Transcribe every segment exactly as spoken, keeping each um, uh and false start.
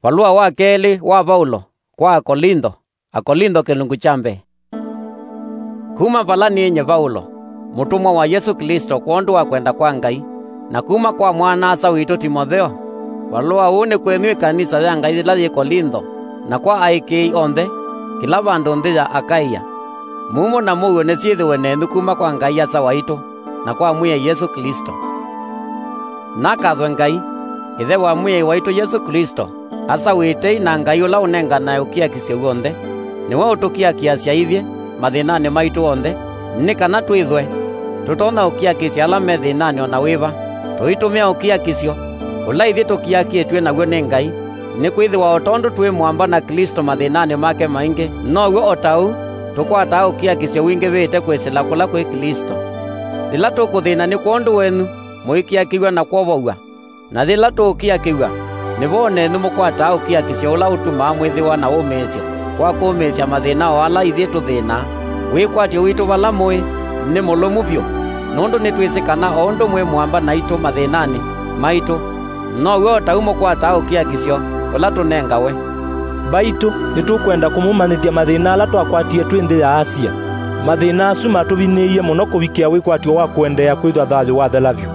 Valũa wa kelĩ wa Vaulo kwa Akolintho. Akolintho kĩlungu kya mbee. Kuma vala nĩnyie Vaulo, mũtũmwa wa Yesũ Klĩsto kwondũ wa kwenda kwa Ngai, na kuma kwa mwana-a-asa witũ Timotheo, valũa ũũ nĩ kwenyu ĩkanisa ya Ngai yĩla yĩ Kolintho, na kwa aĩkĩĩi onthe, kĩla vandũ nthĩ ya Akaia. Mumo na mũuo nĩsyĩthĩwe nenyu kuma kwa Ngai Asa waitũ, na kwa Mwĩai Yesũ Klĩsto. Nakathwe Ngai, Ĩthe wa Mwĩai waitũ Yesũ Klĩsto, Asa wĩ tei na Ngai ũla ũnenganae ũkiakisyo w'onthe, nĩwe ũtũkiakiasya ithyĩ mathĩnanĩ maitũ onthe, nĩ kana twĩthwe tũtonya ũkiakisya ala me thĩnanĩ o na wĩva, tũitũmĩa ũkiakisyo ũla ithyĩ tũkiakĩtw'e naw'o nĩ Ngai, nĩkwĩthĩwa o tondũ twĩ mũamba na Klĩsto mathĩnanĩ make maingĩ, now'o o ta ũu tũkwataa ũkiakisyo wingĩvĩte kwĩsĩla kũla kwĩ Klĩsto. Yĩla tũkũthĩna nĩ kwondũ wenyu, mũikiakĩw'a na kwovow'a. Na yĩla tũũkiakĩw'a, nĩvo o nenyu mũkwataa ũkiakisyo ũla ũtumaa mwĩthĩwa na wũmĩĩsyo wa kũũmĩĩsya mathĩna o ala ithyĩ tũthĩnaa. Wĩkwatyo witũ vala mũĩ nĩ mũlũmu vyũ, nũndũ nĩtwĩsĩ kana o ũndũ mwĩ mũamba naitũ mathĩnanĩ maitũ, now'o o ta ũu mũkwataa ũkiakisyo ũla tũnengawe. Mbaitũ, nĩtũkwenda kũmũmanyĩthya mathĩna ala twakwatie twĩ nthĩ ya Asia. Mathĩna asu matũvinyĩĩie mũno kũvikĩa wĩkwatyo wa kũendeea kwĩthwa thayũ wathela vyũ.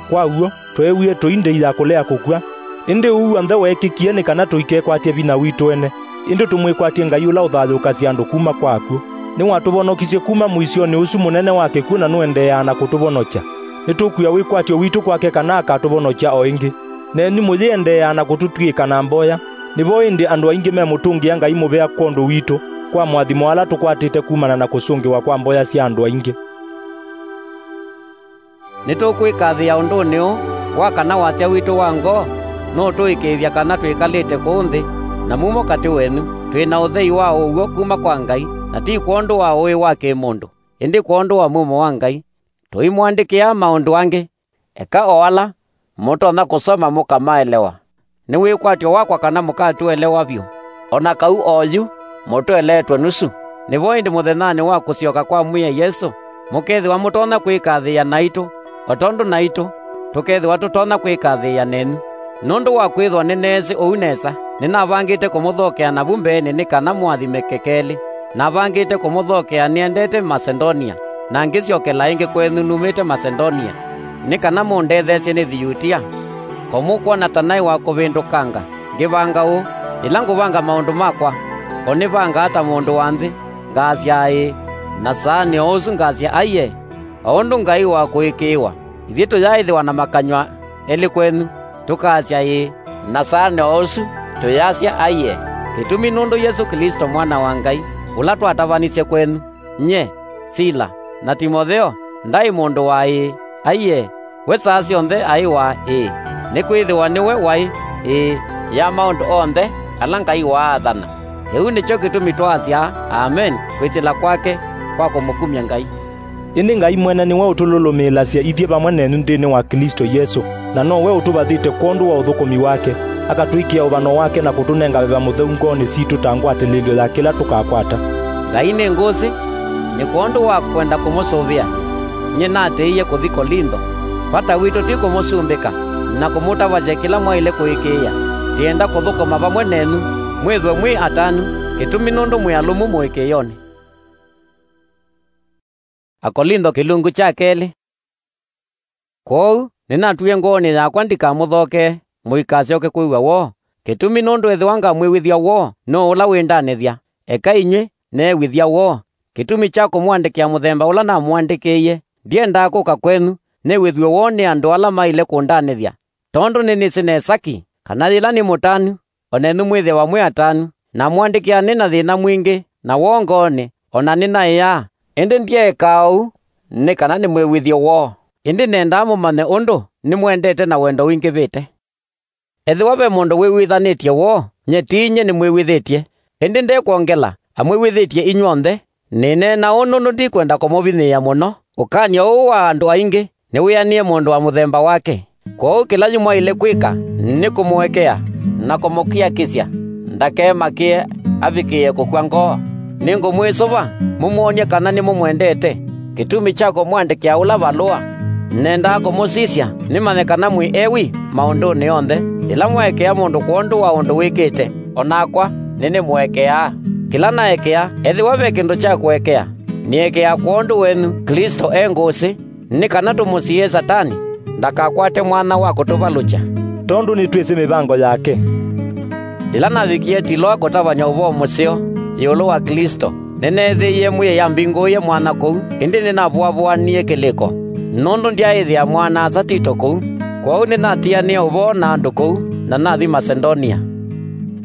Kwa w'o, tweewie tũi ndĩi ya kũlea kũkw'a. Ĩndĩ ũu w'onthe weekĩkie nĩ kana tũikekwatye vinya witũ ene, ĩndĩ tũmwĩkwatye Ngai ũla ũthayũũkasya andũ kuma kwa akw'ũ. Nĩwatũvonokisye kuma mũisyonĩ ũsu mũnene wa kĩkw'ũ na nũendeeaa na kũtũvonokya. Nĩtũkwĩa wĩkwatyo witũ kwake kana akatũvonokya o ĩngĩ. Nenyu mũyĩendeeaa na kũtũtw'ĩĩka na mboya. Nĩvo ĩndĩ andũ aingĩ memũtũngĩa Ngai mũvea kwondũ witũ, kwa moathimo ala tũkwatĩte kumana na kũsũngĩwa kwa mboya sya andũ aingĩ. Nĩtũkwĩkathĩĩa ũndũnĩ ũũ wa kana wasya witũ wa ngoo nũũtũĩkĩĩthya kana twĩkalĩte kũũ nthĩ na mumo katĩ wenyu, twĩ na ũthei wa ũw'o kuma kwa Ngai, na ti kwondũ wa ũĩ wa kĩ-mũndũ, ĩndĩ kwondũ wa mumo wa Ngai. Tũimũandĩkĩaa maũndũ angĩ, eka o ala mũtonya kũsoma mũkamaelewa. Nĩ wĩkwatyo wakwa kana mũkatũelewa vyũ, o na kau oyu mũtũeleetwe nusu. Nĩvo ĩndĩ mũthenyanĩ wa kũsyoka kwa Mwĩai Yesũ, mũkethĩwa mũtonya kwĩkathĩĩa naitũ, o tondũ naitũ tũkethĩwa tũtonya kwĩkathĩĩa nenyu. Nũndũ wa kwĩthwa nĩneesĩ ũu nesa, nĩnavangĩte kũmũthokea navu mbeenĩ nĩ kana mũathimĩke kelĩ. Navangĩte kũmũthokea nĩendete Masedonia, na ngĩsyokela ĩngĩ kwenyu numĩte Masedonia, nĩ kana mũndetheesye nĩthi Yutia. Ko mũkwona ta naĩ wa kũvĩndũkanga, ngĩvanga ũũ, yĩla ngũvanga maũndũ makwa, ko nĩvangaa ta mũndũ wa nthĩ, ngaasya ĩĩ, na saanĩ o ũsu ngaasya aiee. O ũndũ Ngai wa kũĩkĩĩwa, ithyĩ tũyaaĩthĩwa na makanyw'a elĩ kwenyu, tũkaasya ĩĩ, na saanĩ o ũsu tũyasya aiee. Kĩtumi nũndũ Yesũ Klĩsto Mwana wa Ngai, ũla twatavanisye kwenyu, nyie, Sila, na Timotheo, ndaĩ mũndũ wa ĩĩ, aiee, we saa syonthe aĩ wa ĩĩ, nĩkwĩthĩwa nĩwe waĩ ĩĩ ya maũndũ onthe ala Ngai waathana. Kĩu nĩkyo kĩtumi twaasya, Amen, kwĩsĩla kwake kwa kũmũkumya Ngai. Ĩndĩ Ngai mwene nĩwe ũtũlũlũmĩĩlasya ithyĩ vamwe nenyu nthĩnĩ wa Klĩsto Yesũ, na nowe ũtũvathĩte kwondũ wa ũthũkũmi wake, akatwĩkĩa ũvano wake na kũtũnenga Veva Mũtheu ngoonĩ sitũ ta ngwatĩlĩĩlyo ya kĩla tũkakwata. Ngai nĩ ngũsĩ, nĩ kwondũ wa kwenda kũmũsũvĩa, nyie natĩĩie kũthi Kolintho. Vata witũ ti kũmũsumbĩka na kũmũtavasya kĩla mwaĩle kũĩkĩĩa. Ndĩenda kũthũkũma vamwe nenyu, mwĩthwe mwĩ atanu, kĩtumi nũndũ mwĩ alũmu mũĩkĩĩonĩ. Akolintho kĩlungu kya kelĩ. Kwoou nĩnatwie ngoonĩ yakwa ndikamũthokee, mũikasyoke kwĩw'a woo, kĩtumi nũndũ ethĩwa ngamwĩw'ĩthya woo, nũũ ũla wĩndanĩthya? Eka inyw'ĩ neew'ĩthya woo. Kĩtumi kya kũmũandĩkĩa mũthemba ũla namũandĩkĩie, ndyendaa kũka kwenyu nĩw'ĩthw'e woo nĩ andũ ala maĩle kũndanĩthya, tondũ nĩnĩsĩ nesa ki kana yĩla nĩ mũtanu, o nenyu mwĩthĩawa mwĩ atanu. Namũandĩkĩa nĩ na thĩna mwingĩ na woo ngoonĩ, o na nĩnaĩaa. Ĩndĩ ndyeekaa ũu nĩ kana nĩmwĩw'ĩthye woo, ĩndĩ nendaa mũmanye ũndũ nĩmwendete na wendo wingĩvĩte. Ethĩwa ve mũndũ wĩw'ĩthanĩtye woo, nyie ti nyie nĩmwĩw'ĩthĩtye, ĩndĩ ndekwongela amwĩw'ĩthĩtye inyw'onthe. Nĩneena ũũ nũndũ ndikwenda kũmũvinyĩĩa mũno. Ũkany'o ũũ wa andũ aingĩ nĩwĩanĩe mũndũ wa mũthemba wake. Kwoou kĩla yu mwaĩle kwĩka nĩ kũmũekea na kũmũkiakĩsya ndakemakĩe avikĩĩe kũkw'a ngoo. Nĩngũmwĩsũva mũmwony'e kana nĩmũmwendete. Kĩtumi kya kũmwandĩkĩa ũla valũa, nendaa kũmũsisya nĩmanye kana mwĩ ewi maũndũnĩ onthe. Yĩla mwaekea mũndũ kwondũ wa ũndũ wĩkĩte, o nakwa nĩnĩmũekeaa. Kĩla naekea, ethĩwa ve kĩndũ kya kũekea, nĩekeaa kwondũ wenyu Klĩsto e ngũsĩ, nĩ kana tũmũsiĩĩe Satani ndakakwate mwanya wa kũtũvalũkya. Tondũ nĩtwĩsĩ mĩvango yake. Yĩla navikie Tiloa kũtavany'a ũvoo mũseo ĩũlũ wa Klĩsto, nĩneethĩie Mwĩai ambingũĩe mwanya kũu, ĩndĩ nĩnavũavũanie kĩlĩko, nũndũ ndyaaĩthĩa mwana-a-asa Tito kũu. Kwoou nĩnatianĩe ũvoo na andũ kũu, na nathi Masedonia.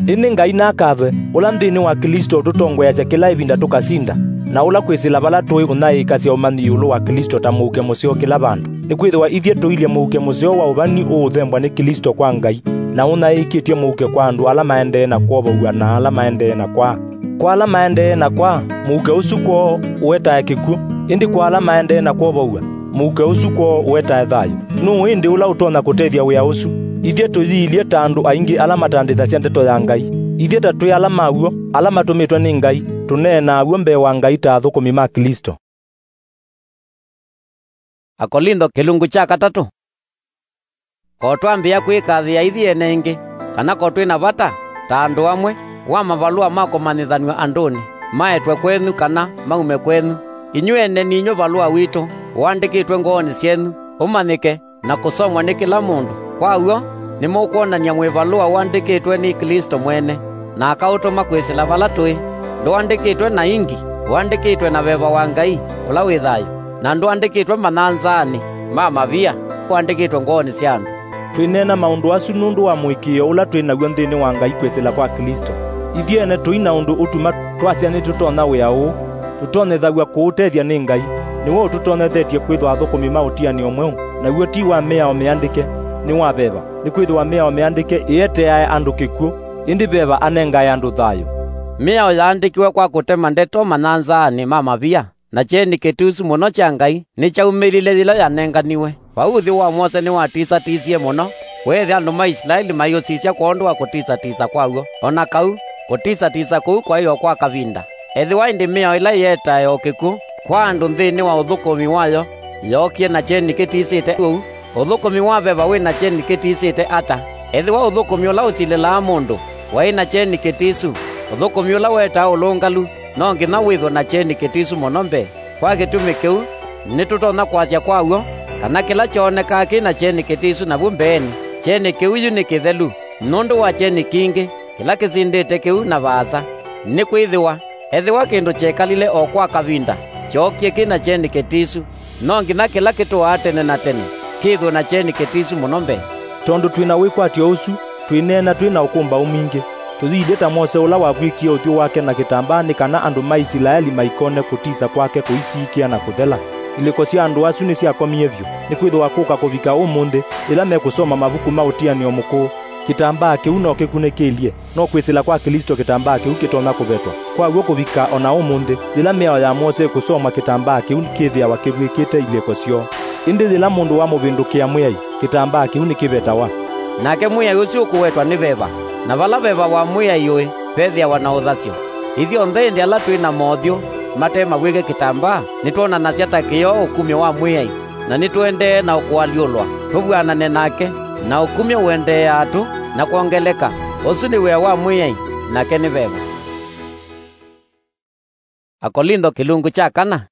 Ĩndĩ Ngai nakathwe, ũla nthĩnĩ wa Klĩsto ũtũtongoeasya kĩla ĩvinda tũkasinda, na ũla kwĩsĩla vala tũĩ ũnyaĩĩkasya ũmanyi ĩũlũ wa Klĩsto ta mũuke mũseo kĩla vandũ. Nĩkwĩthĩwa ithyĩ tũilye mũuke mũseo wa ũvani ũũthembwa nĩ Klĩsto kwa Ngai, na ũnyaĩĩkĩtye mũuke kwa andũ ala maendee na kwovow'a na ala maendee na kwaa. Kwa ala maendee na kwaa, mũuke ũsu kwoo ũetae kĩkw'ũ, ĩndĩ kwa ala maendee na kwovow'a, mũuke ũsu kwoo ũetae thayũ. Nũũ ĩndĩ ũla ũtonya kũtethya wĩa ũsu? Ithyĩ tũyiilye ta andũ aingĩ ala matandĩthasya ndeto ya Ngai. Ithyĩ ta twĩ ala ma w'o, ala matũmĩtwe nĩ Ngai, tũneenaa w'o mbee wa Ngai ta athũkũmi ma Klĩsto. Akolintho kĩlungu kya katatũ. Ko twambĩĩa kwĩkathĩa ithyĩ ene ĩngĩ, kana ko twĩ na vata, ta andũ amwe, wa mavalũa ma kũmanyĩthanw'a andũnĩ, maetwe kwenyu kana maume kwenyu? Inyw'ĩ ene ninyw'ĩ valũa witũ, ũandĩkĩtwe ngoonĩ syenyu, ũmanyĩke, na kũsomwa nĩ kĩla mũndũ. Kwa w'o, nĩmũkwonany'a mwĩ valũa ũandĩkĩtwe nĩ Klĩsto mwene, na akaũtũma kwĩsĩla vala tũĩ. Ndũandĩkĩtwe na ingi, ũandĩkĩtwe na veva wa Ngai, ũla wĩ thayũ, na ndũandĩkĩtwe manyanzaanĩ ma mavia, ũandĩkĩtwe ngoonĩ sya andũ. Twĩneena maũndũ asu nũndũ wa mũĩkĩĩo ũla twĩ naw'o nthĩnĩ wa Ngai kwĩsĩla kwa Klĩsto. Ithyĩ ene tũi na ũndũ ũtuma twasya nĩtũtonya wĩa ũũ. Tũtonyethaw'a kũũtethya nĩ Ngai. Nĩwe ũtũtonyethetye kwĩthwa athũkũmi ma ũtianĩo mweũ, naw'o ti wa mĩao mĩandĩke, nĩ wa veva. Nĩkwĩthĩwa mĩao mĩandĩke ĩeteae andũ kĩkw'ũ, ĩndĩ veva anengae andũ thayũ. Mĩao yaandĩkiwe kwa kũtema ndeto manyanzaanĩ ma mavia, na kyeni kĩtusu mũno kya Ngai nĩkyaumĩlile yĩla yanenganiwe. Vau ũthyũ wa Mose nĩwatisatisye mũno, weethĩa andũ ma Isilaeli maiũsisya kwondũ wa kũtisatisa kwaw'o. O na kau, kũtisatisa kũu kwaĩ o kwa kavinda. Ethĩwa ĩndĩ mĩao ĩla ĩetae o kĩkw'ũ kwa andũ nthĩnĩ wa ũthũkũmi wayo yookie na kyeni kĩtisĩte ũu, ũthũkũmi wa veva wĩ na kyeni kĩtisĩte ata? Ethĩwa ũthũkũmi ũla ũsilĩlaa mũndũ waĩ na kyeni kĩtisu, ũthũkũmi ũla wetaa ũlũngalu no nginya wĩthwe na kyeni kĩtisu mũno mbee. Kwa kĩtumi kĩu, nĩtũtonya kwasya kwa w'o kana kĩla kyoonekaa kĩ na kyeni kĩtisu navu mbeenĩ, kyeni kĩu yu nĩ kĩthelu nũndũ wa kyeni kingĩ kĩla kĩsindĩte kĩu na vaasa. Nĩkwĩthĩwa, ethĩwa kĩndũ kyekalile o kwa kavinda kyookie kĩ na kyeni kĩtisu, no nginya kĩla kĩtũaa tene na tene kĩthwe na kyeni kĩtisu mũno mbee. Tondũ twĩ na wĩkwatyo ũsu, twĩneena twĩ na ũkũmbaũ mwingĩ. Tũyĩilye ta Mose ũla wavw'ĩkie ũthyũ wake na kĩtambaa nĩ kana andũ ma Isilaeli maikone kũtisa kwake kũisiĩkĩa na kũthela. Ilĩko sya andũ asu nĩsyakomie vyũ, nĩkwĩthĩwa kũka kũvika ũmũnthĩ, yĩla mekũsoma mavuku ma ũtianĩo mũkũũ, kĩtambaa kĩu no kĩkunĩkĩlye. No kwĩsĩla kwa Klĩsto kĩtambaa kĩu kĩtonya kũvetwa. Kwa w'o kũvika o na ũmũnthĩ, yĩla mĩao ya Mose ĩkũsomwa kĩtambaa kĩu kĩthĩawa kĩvw'ĩkĩte ilĩko syoo. Ĩndĩ yĩla mũndũ wamũvĩndũkĩa Mwĩai, kĩtambaa kĩu nĩkĩvetawa. Nake Mwĩai ũsu ũkũwetwa nĩ veva, na vala veva wa Mwĩai ũĩ, vethĩawa na ũthasyo. Ithyonthe ĩndĩ ala twĩ na mothyũ mate mavw'ĩke kĩtambaa, nĩtwonanasya ta kĩoo ũkumyo wa Mwĩai, na nĩtũendee na kũalyũlwa tũvw'anane nake, na ũkumyo ũendeeaa tũ na kwongeleka. Ũsu nĩ wĩa wa Mwĩai, nake nĩ veva. Akolintho kĩlungu kya kana.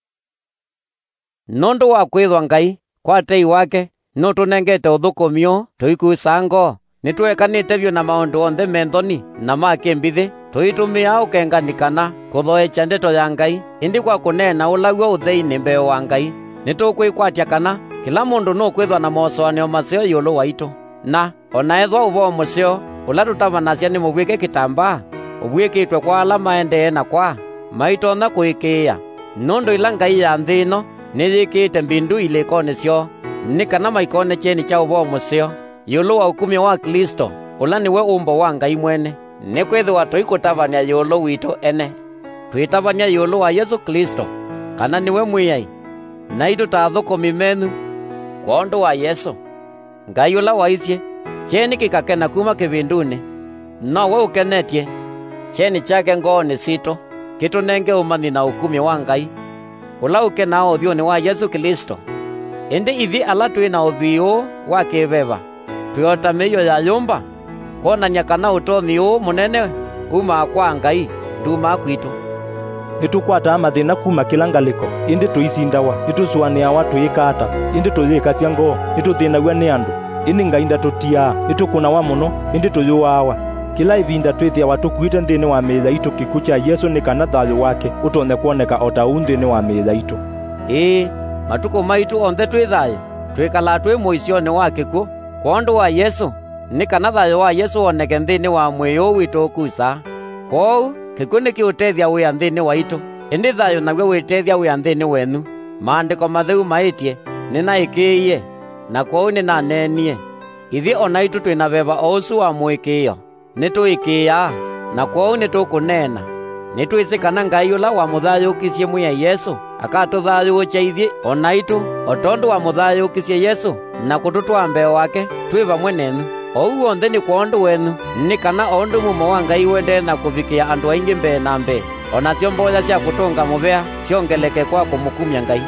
Nũndũ wa kwĩthwa Ngai, kwa tei wake, nũtũnengete ũthũkũmi ũũ tũikusaa ngoo, nĩtũekanĩte vyũ na maũndũ onthe me nthoni na ma kĩmbithĩ, tũitũmĩaa ũkengani kana kũthoekya ndeto ya Ngai, ĩndĩ kwa kũneena ũlaw'a ũtheinĩ mbee wa Ngai, nĩtũkwĩkwatya kana kĩla mũndũ nũkwĩthwa na mosũanĩo maseo ĩũlũ waitũ. Na o na ethĩwa ũvoo mũseo ũla tũtavanasya nĩ mũvw'ĩke kĩtambaa, ũvw'ĩkĩtwe kwa ala maendee na kwaa, maitonya kũĩkĩĩa, nũndũ ĩla ngai ya nthĩ ĩno nĩyĩkĩĩte mbindu ilĩkonĩ syoo, nĩ kana maikone kyeni kya ũvoo mũseo ĩũlũ wa ũkumyo wa Klĩsto, ũla nĩwe ũmbo wa Ngai mwene. Nĩkwĩthĩwa tũikũtavany'a ĩũlũ witũ ene, twĩtavany'a ĩũlũ wa Yesũ Klĩsto, kana nĩwe Mwĩai, naitũ ta athũkũmi menyu kwondũ wa Yesũ. Ngai ũla waisye, "Kyeni kĩkakena kuma kĩvindunĩ," nowe ũkenetye kyeni kyake ngoonĩ sitũ, kĩtũnenge ũmanyi na ũkumyo wa Ngai, ũla ũkenaa ũthyũnĩ wa Yesũ Klĩsto. Ĩndĩ ithyĩ ala twĩ na ũthwii ũũ wa kĩ-veva, twĩ o ta mĩio ya yũmba, kwonany'a kana ũtonyi ũũ mũnene wumaa kwa Ngai, ndumaa kwitũ. Nĩtũkwataa mathĩna kuma kĩla ngalĩko, ĩndĩ tũisindawa. Nĩtũsũanĩawa tũyĩka ata, ĩndĩ tũyĩkasya ngoo. Nĩtũthĩnaw'a nĩ andũ, ĩndĩ Ngai ndatũtiaa. Nĩtũkũnawa mũno, ĩndĩ tũyũaawa. Kĩla ĩvinda twĩthĩawa tũkuĩte nthĩnĩ wa mĩĩ yaitũ kĩkw'ũ kya Yesũ, nĩ kana thayũ wake ũtonye kwoneka o ta ũu nthĩnĩ wa mĩĩ yaitũ. Ĩĩ, matukũ maitũ onthe twĩ thayũ, twĩkalaa twĩ mũisyonĩ wa kĩkw'ũ kwondũ wa Yesũ, nĩ kana thayũ wa Yesũ woneke nthĩnĩ wa mwĩĩ ũũ witũ ũkusaa. Kwoou, kĩkw'ũ nĩkĩũtethya wĩa nthĩnĩ waitũ, ĩndĩ thayũ naw'o wĩtethya wĩa nthĩnĩ wenyu. Maandĩko Matheu maĩtye, "Nĩnaĩkĩĩie, na kwoou nĩnaneenie." Ithyĩ o naitũ twĩ na veva o ũsu wa mũĩkĩĩo. Nĩtũĩkĩĩaa, na kwoou nĩtũkũneena. Nĩtwĩsĩ kana Ngai ũla wamũthayũũkisye Mwĩai Yesũ akatũthayũũkya ithyĩ o naitũ, o tondũ wamũthayũũkisye Yesũ na kũtũtwaa mbee wake twĩ vamwe nenyu. Ũu w'onthe nĩ kwondũ wenyu, nĩ kana o ũndũ mumo wa Ngai ũendee na kũvikĩa andũ aingĩ mbee na mbee, o nasyo mboya sya kũtũnga mũvea syongeleke kwa kũmũkumya Ngai.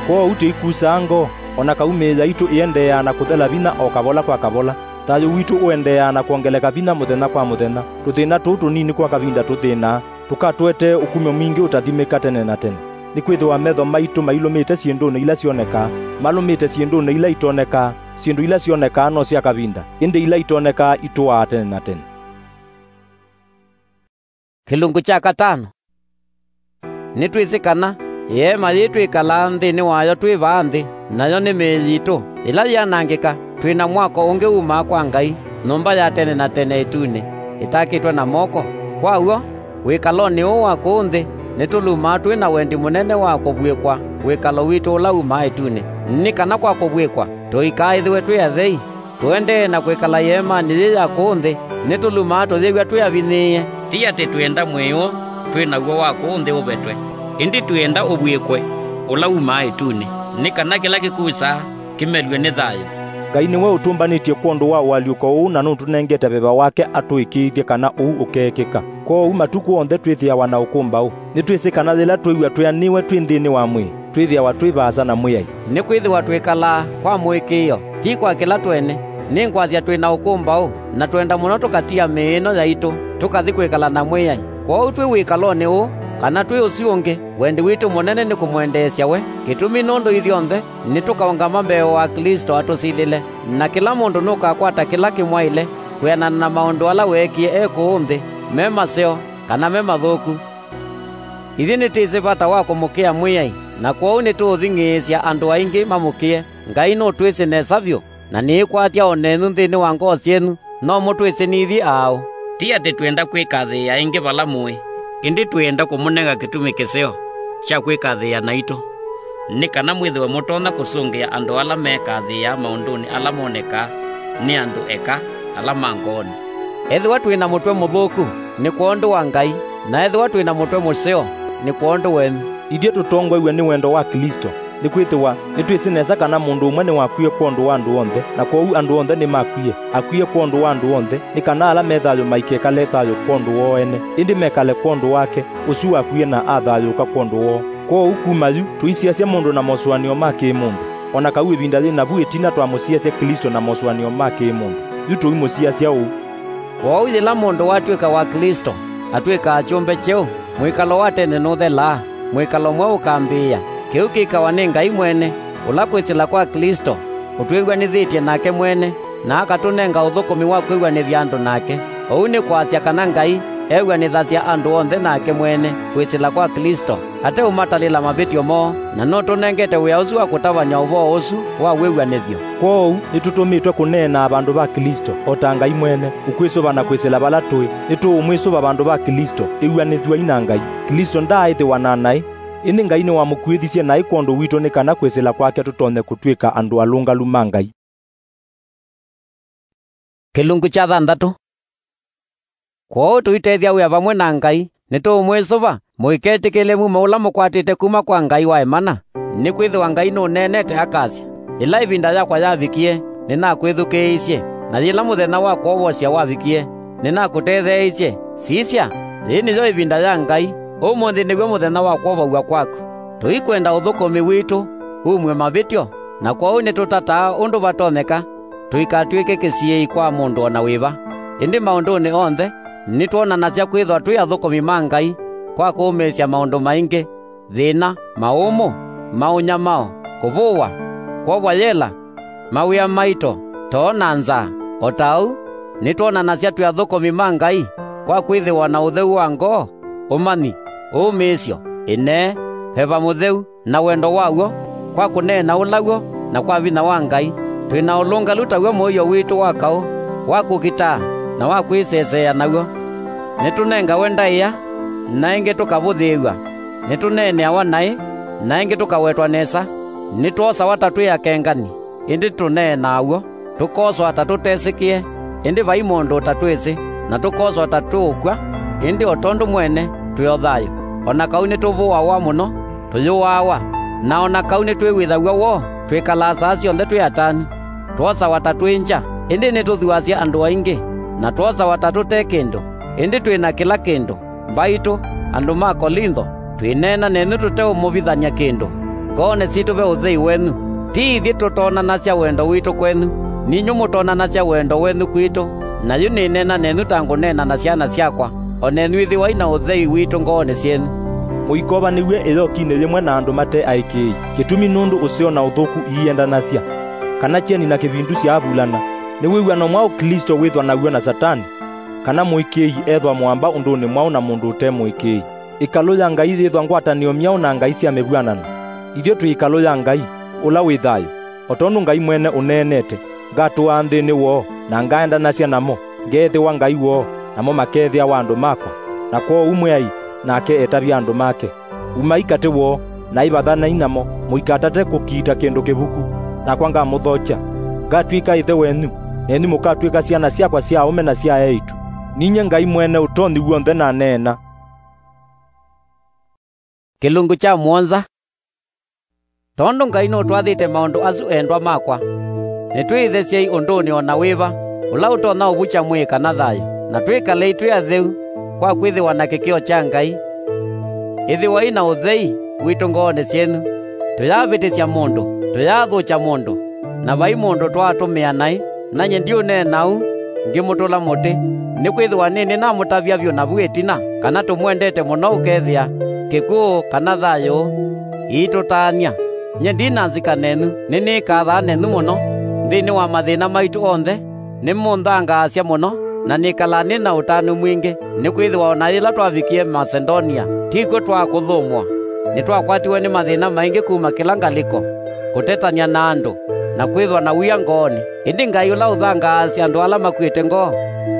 Kwoou tũikusaa ngoo, o na kau mĩĩ yaitũ ĩendeeaa na kũthela vinya o kavola kwa kavola. Thayũ witũ ũendeeaa na kwongeleka vinya mũthenya kwa mũthenya. Tũthĩna tũũ tũnini kwa kavinda tũthĩnaa tũkatũetee ũkumyo mwingĩ ũtathimĩka tene na tene. Nĩkwĩthĩwa metho maitũ mailũmĩte syĩndũnĩ ila syonekaa, malũmĩte syĩndũnĩ ila itonekaa. Syĩndũ ila syonekaa no sya kavinda, ĩndĩ ila itonekaa itũaa tene na tene. Kĩlungu kya katano. Nĩtwĩsĩ kana ĩeema yĩĩ twĩkalaa nthĩnĩ wayo twĩ vaa nthĩ, nayo nĩ mĩĩ yitũ, ĩla yanangĩka, twĩ na mwako ũngĩ wumaa kwa Ngai, nyũmba ya tene na tene ĩtunĩ, ĩtakĩtwe na moko. Kwa w'o, wĩkalonĩ ũũ wa kũũ nthĩ, nĩtũlumaa twĩ na wendi mũnene wa kũvw'ĩkwa wĩkalo witũ ũla wumaa ĩtunĩ, nĩ kana kwa kũvw'ĩkwa tũikaaĩthĩwe twĩ athei. Tũendee na kwĩkala ĩeemanĩ yĩĩ ya kũũ nthĩ, nĩtũlumaa tũyĩw'a twĩ avinyĩĩe. Ti atĩ twĩenda mwĩĩ ũũ twĩ naw'o wa kũũ nthĩ ũvetwe, ĩndĩ twĩenda ũvw'ĩkwe ũla wumaa ĩtunĩ, nĩ kana kĩla kĩkusaa kĩmelw'e nĩ thayũ. Ngai nĩwe ũtũmbanĩtye kwondũ wa ũalyũko ũũ na nũtũnengete veva wake atũĩkĩĩthye kana ũu ũkeekĩka. Kwoou matukũ onthe twĩthĩawa na ũkũmbaũ. Nĩtwĩsĩ kana yĩla twĩw'a twĩanĩwe twĩ nthĩnĩ wa mwĩĩ, twĩthĩawa twĩ vaasa na Mwĩai. Nĩkwĩthĩwa twĩkalaa kwa mũĩkĩĩo, ti kwa kĩla twene. Nĩ ngwasya twĩ na ũkũmbaũ, na twenda mũno tũkatia mĩĩ ĩno yaitũ, tũkathi kwĩkala na Mwĩai. Kwoou twĩ wĩkalonĩ ũũ, kana twĩ ũsu ũngĩ, wendi witũ mũnene nĩ kũmwendeesya we. Kĩtumi nũndũ ithyonthe nĩtũkaũngama mbee wa Klĩsto atũsilĩle, na kĩla mũndũ nũkakwata kĩla kĩmwaĩle kwĩanana na maũndũ ala weekie e kũũ nthĩ, me maseo kana me mathũku. Ithyĩ nĩtwĩsĩ vata wa kũmũkĩa Mwĩai, na kwoou nĩtũũthing'ĩĩsya andũ aingĩ mamũkĩe. Ngai nũtwĩsĩ nesa vyũ, na nĩĩkwatya o nenyu nthĩnĩ wa ngoo syenyu, no mũtwĩsĩ nithyĩ aaũ. Ti atĩ twĩenda kwĩkathĩĩa ĩngĩ vala mũĩ, ĩndĩ twĩenda kũmũnenga kĩtumi kĩseo kya kwĩkathĩĩa naitũ, nĩ kana mwĩthĩwe mũtonya kũsũngĩa andũ ala mekathĩĩaa maũndũnĩ ala monekaa nĩ andũ eka, ala ma ngoonĩ. Ethĩwa twĩ na mũtwe mũthũku, nĩ kwondũ wa Ngai, na ethĩwa twĩ na mũtwe mũseo, nĩ kwondũ wenyu. Ithyĩ tũtongoew'e nĩ wendo wa Klĩsto, nĩkwĩthĩwa nĩtwĩsĩ nesa kana mũndũ ũmwe nĩwakwie kwondũ wa andũ onthe, na kwoou andũ onthe nĩmakwie. Akwie kwondũ wa andũ onthe, nĩ kana ala me thayũ maikekale thayũ kwondũ woo ene, ĩndĩ mekale kwondũ wake ũsu wakwie na athayũũka kwondũ woo. Kwoou kuma yu, tũisiasya mũndũ na mosũanĩo ma kĩ-mũndũ, o na kau ĩvinda yĩ navu ĩtina twamũsiasya Klĩsto na mosũanĩo ma kĩ-mũndũ, yu tũimũsiasya ũu. Kwoou yĩla mũndũ watw'ĩka wa Klĩsto, atw'ĩkaa kyũmbe kyeũ, mwĩkalo wa tene nũthelaa, mwĩkalo mweũ ũkambĩĩa. Kĩu kĩkawa nĩ Ngai mwene, ũla kwĩsĩla kwa Klĩsto ũtwĩw'anĩthĩtye nake mwene, na akatũnenga ũthũkũmi wa kwĩw'anĩthya andũ nake. Ũu nĩ kwasya kana Ngai ew'anĩthasya andũ onthe nake mwene kwĩsĩla kwa Klĩsto, ateũmatalĩla mavĩtyo moo, na nũtũnengete wĩa ũsu wa kũtavany'a ũvoo ũsu wa wĩw'anĩthyo. Kwoou nĩtũtũmĩtwe kũneenaa vandũ va Klĩsto, o ta Ngai mwene, ũkwĩsũva na kwĩsĩla vala tũĩ. Nĩtũũmwĩsũva vandũ va Klĩsto, ĩw'anĩthw'ai na Ngai. Klĩsto ndaaĩthĩwa na naĩ, ĩndĩ Ngai nĩwamũkuĩthisye naĩ kwondũ witũ nĩ kana kwĩsĩla kwake tũtonye kũtw'ĩka andũ alũngalu ma Ngai. Kĩlungu kya thanthatũ. Kwoou tũitethya wĩa vamwe na Ngai, nĩtũũmwĩsũva, mũiketĩkĩle mumo ũla mũkwatĩte kuma kwa Ngai wa ĩmana. Nĩkwĩthĩwa Ngai nũneenete akasya, "Yĩla ĩvinda yakwa yavikie, nĩnakwĩthukĩĩisye, na yĩla mũthenya wa kwovosya wavikie, nĩnakũtetheeisye." Sisya, yĩĩ nĩyo ĩvinda ya Ngai, ũmũnthĩ nĩw'o mũthenya wa kwovaw'a kwaku. Tũikwenda ũthũkũmi witũ umw'e mavĩtyo, na kwoou nĩtũtataa ũndũ vatonyeka tũikatw'ĩke kĩsiĩĩi kwa mũndũ o na wĩva. Ĩndĩ maũndũnĩ onthe nĩtwonanasya kwĩthwa twĩ athũkũmi ma Ngai kwa kũũmĩĩsya maũndũ maingĩ: thĩna, maũmũ, maũnyamao, kũvũwa, kwovwa yela, mawĩa maito, too na nzaa. O ta ũu, nĩtwonanasya twĩ athũkũmi ma Ngai kwa kwĩthĩwa na ũtheu wa ngoo, ũmanyi, ũũmĩĩsyo, ĩnee, Veva Mũtheu, na wendo wa w'o, kwa kũneena ũla w'o, na kwa vinya wa Ngai. Twĩ na ũlũngalu ta w'o mũio witũ wa kaũ wa kũkitaa na wa kwĩseseea naw'o. Nĩtũnengawe ndaĩa, na ĩngĩ tũkavũthĩĩw'a. Nĩtũneeneawa naĩ, na ĩngĩ tũkawetwa nesa. Nĩtwosawa ta twĩ akengani, ĩndĩ tũneenaa w'o. Tũkoswa ta tũtesĩkĩe, ĩndĩ vai mũndũ ũtatwĩsĩ, na tũkoswa ta tũũkw'a, ĩndĩ o tondũ mwene twĩ o thayũ. O na kau nĩtũvũawa mũno, tũyũaawa, na o na kau nĩtwĩw'ĩthaw'a woo, twĩkalaa saa syonthe twĩ atanu. Twosawa ta twĩ ngya, ĩndĩ nĩtũthuasya andũ aingĩ, na twosawa ta tũte kĩndũ, ĩndĩ twĩ na kĩla kĩndũ. Mbaitũ, andũ ma Kolintho, twĩneena nenyu tũteũmũvithany'a kĩndũ. Ngoonĩ sitũ ve ũthei wenyu. Ti ithyĩ tũtonanasya wendo witũ kwenyu, ninyw'ĩ mũtonanasya wendo wenyu kwitũ, na yu nĩneena nenyu ta ngũneena na syana syakwa, o nenyu ĩthĩwai na ũthei witũ ngoonĩ syenyu. Mũikovanĩw'e ĩyokinĩ yĩmwe na andũ mate aĩkĩĩi. Kĩtumi nũndũ ũseo na ũthũku iiendanasya, kana kyeni na kĩvindu syaavulana. Nĩ wĩw'ano mwaũ Klĩsto wĩthwa naw'o na Satani? Kana mũĩkĩĩi ethwa mũamba ũndũnĩ mwaũ na mũndũ ũte mũĩkĩĩi? Ĩkalũ ya Ngai yĩthwa ngwatanĩo myaũ na ngai sya mĩvw'anano? Ithyĩ twĩ ĩkalũ ya Ngai, ũla wĩ thayũ. O tondũ Ngai mwene ũneenete, ngatũaa nthĩnĩ woo, na ngaendanasya namo, ngeethĩwa Ngai woo, namo makeethĩawa andũ makwa. Na kwoou Mwĩai nake etavya andũ make. Umai katĩ woo, na ĩvathanai namo, mũikatate kũkiita kĩndũ kĩvuku, nakwa ngamũthokya. Ngatw'ĩka ĩthe wenyu, nenyu mũkatw'ĩka syana syakwa sya aũme na sya eĩtu. Ninyie Ngai Mwene Ũtonyi W'onthe naneena. Kĩlungu kya mũonza. Tondũ Ngai nũtwathĩte maũndũ asu, endwa makwa, nĩtwĩĩthesyei ũndũnĩ o na wĩva ũla ũtonya ũvukya mwĩĩ kana thayũ, na twĩkalei twĩ atheu kwa kwĩthĩwa na kĩkĩo kya Ngai. Ĩthĩwai na ũthei witũ ngoonĩ syenyu. Tũyaavĩtĩsya mũndũ, tũyaathũkya mũndũ, na vai mũndũ twaatũmĩa naĩ. Nanyie ndiũneena ũu ngĩmũtũla mũtĩ, nĩkwĩthĩwa nĩnĩnamũtavya vyũ navu ĩtina kana tũmwendete mũno ũkethĩa kĩkw'ũ kana thayũ iitũtaany'a. Nyie ndi na nzika nenyu, nĩnĩkathaa nenyu mũno nthĩnĩ wa mathĩna maitũ onthe. Nĩmũnthangaasya mũno, na nĩkalaa nĩ na ũtanu mwingĩ, nĩkwĩthĩwa o na yĩla twavikie Masedonia, ti kw'o twakũthũmũa. Nĩtwakwatiwe nĩ mathĩna maingĩ kuma kĩla ngalĩko, kũtetany'a na andũ, na kwĩthwa na wia ngoonĩ. Ĩndĩ Ngai ũla ũthangaasya andũ ala makuĩte ngoo,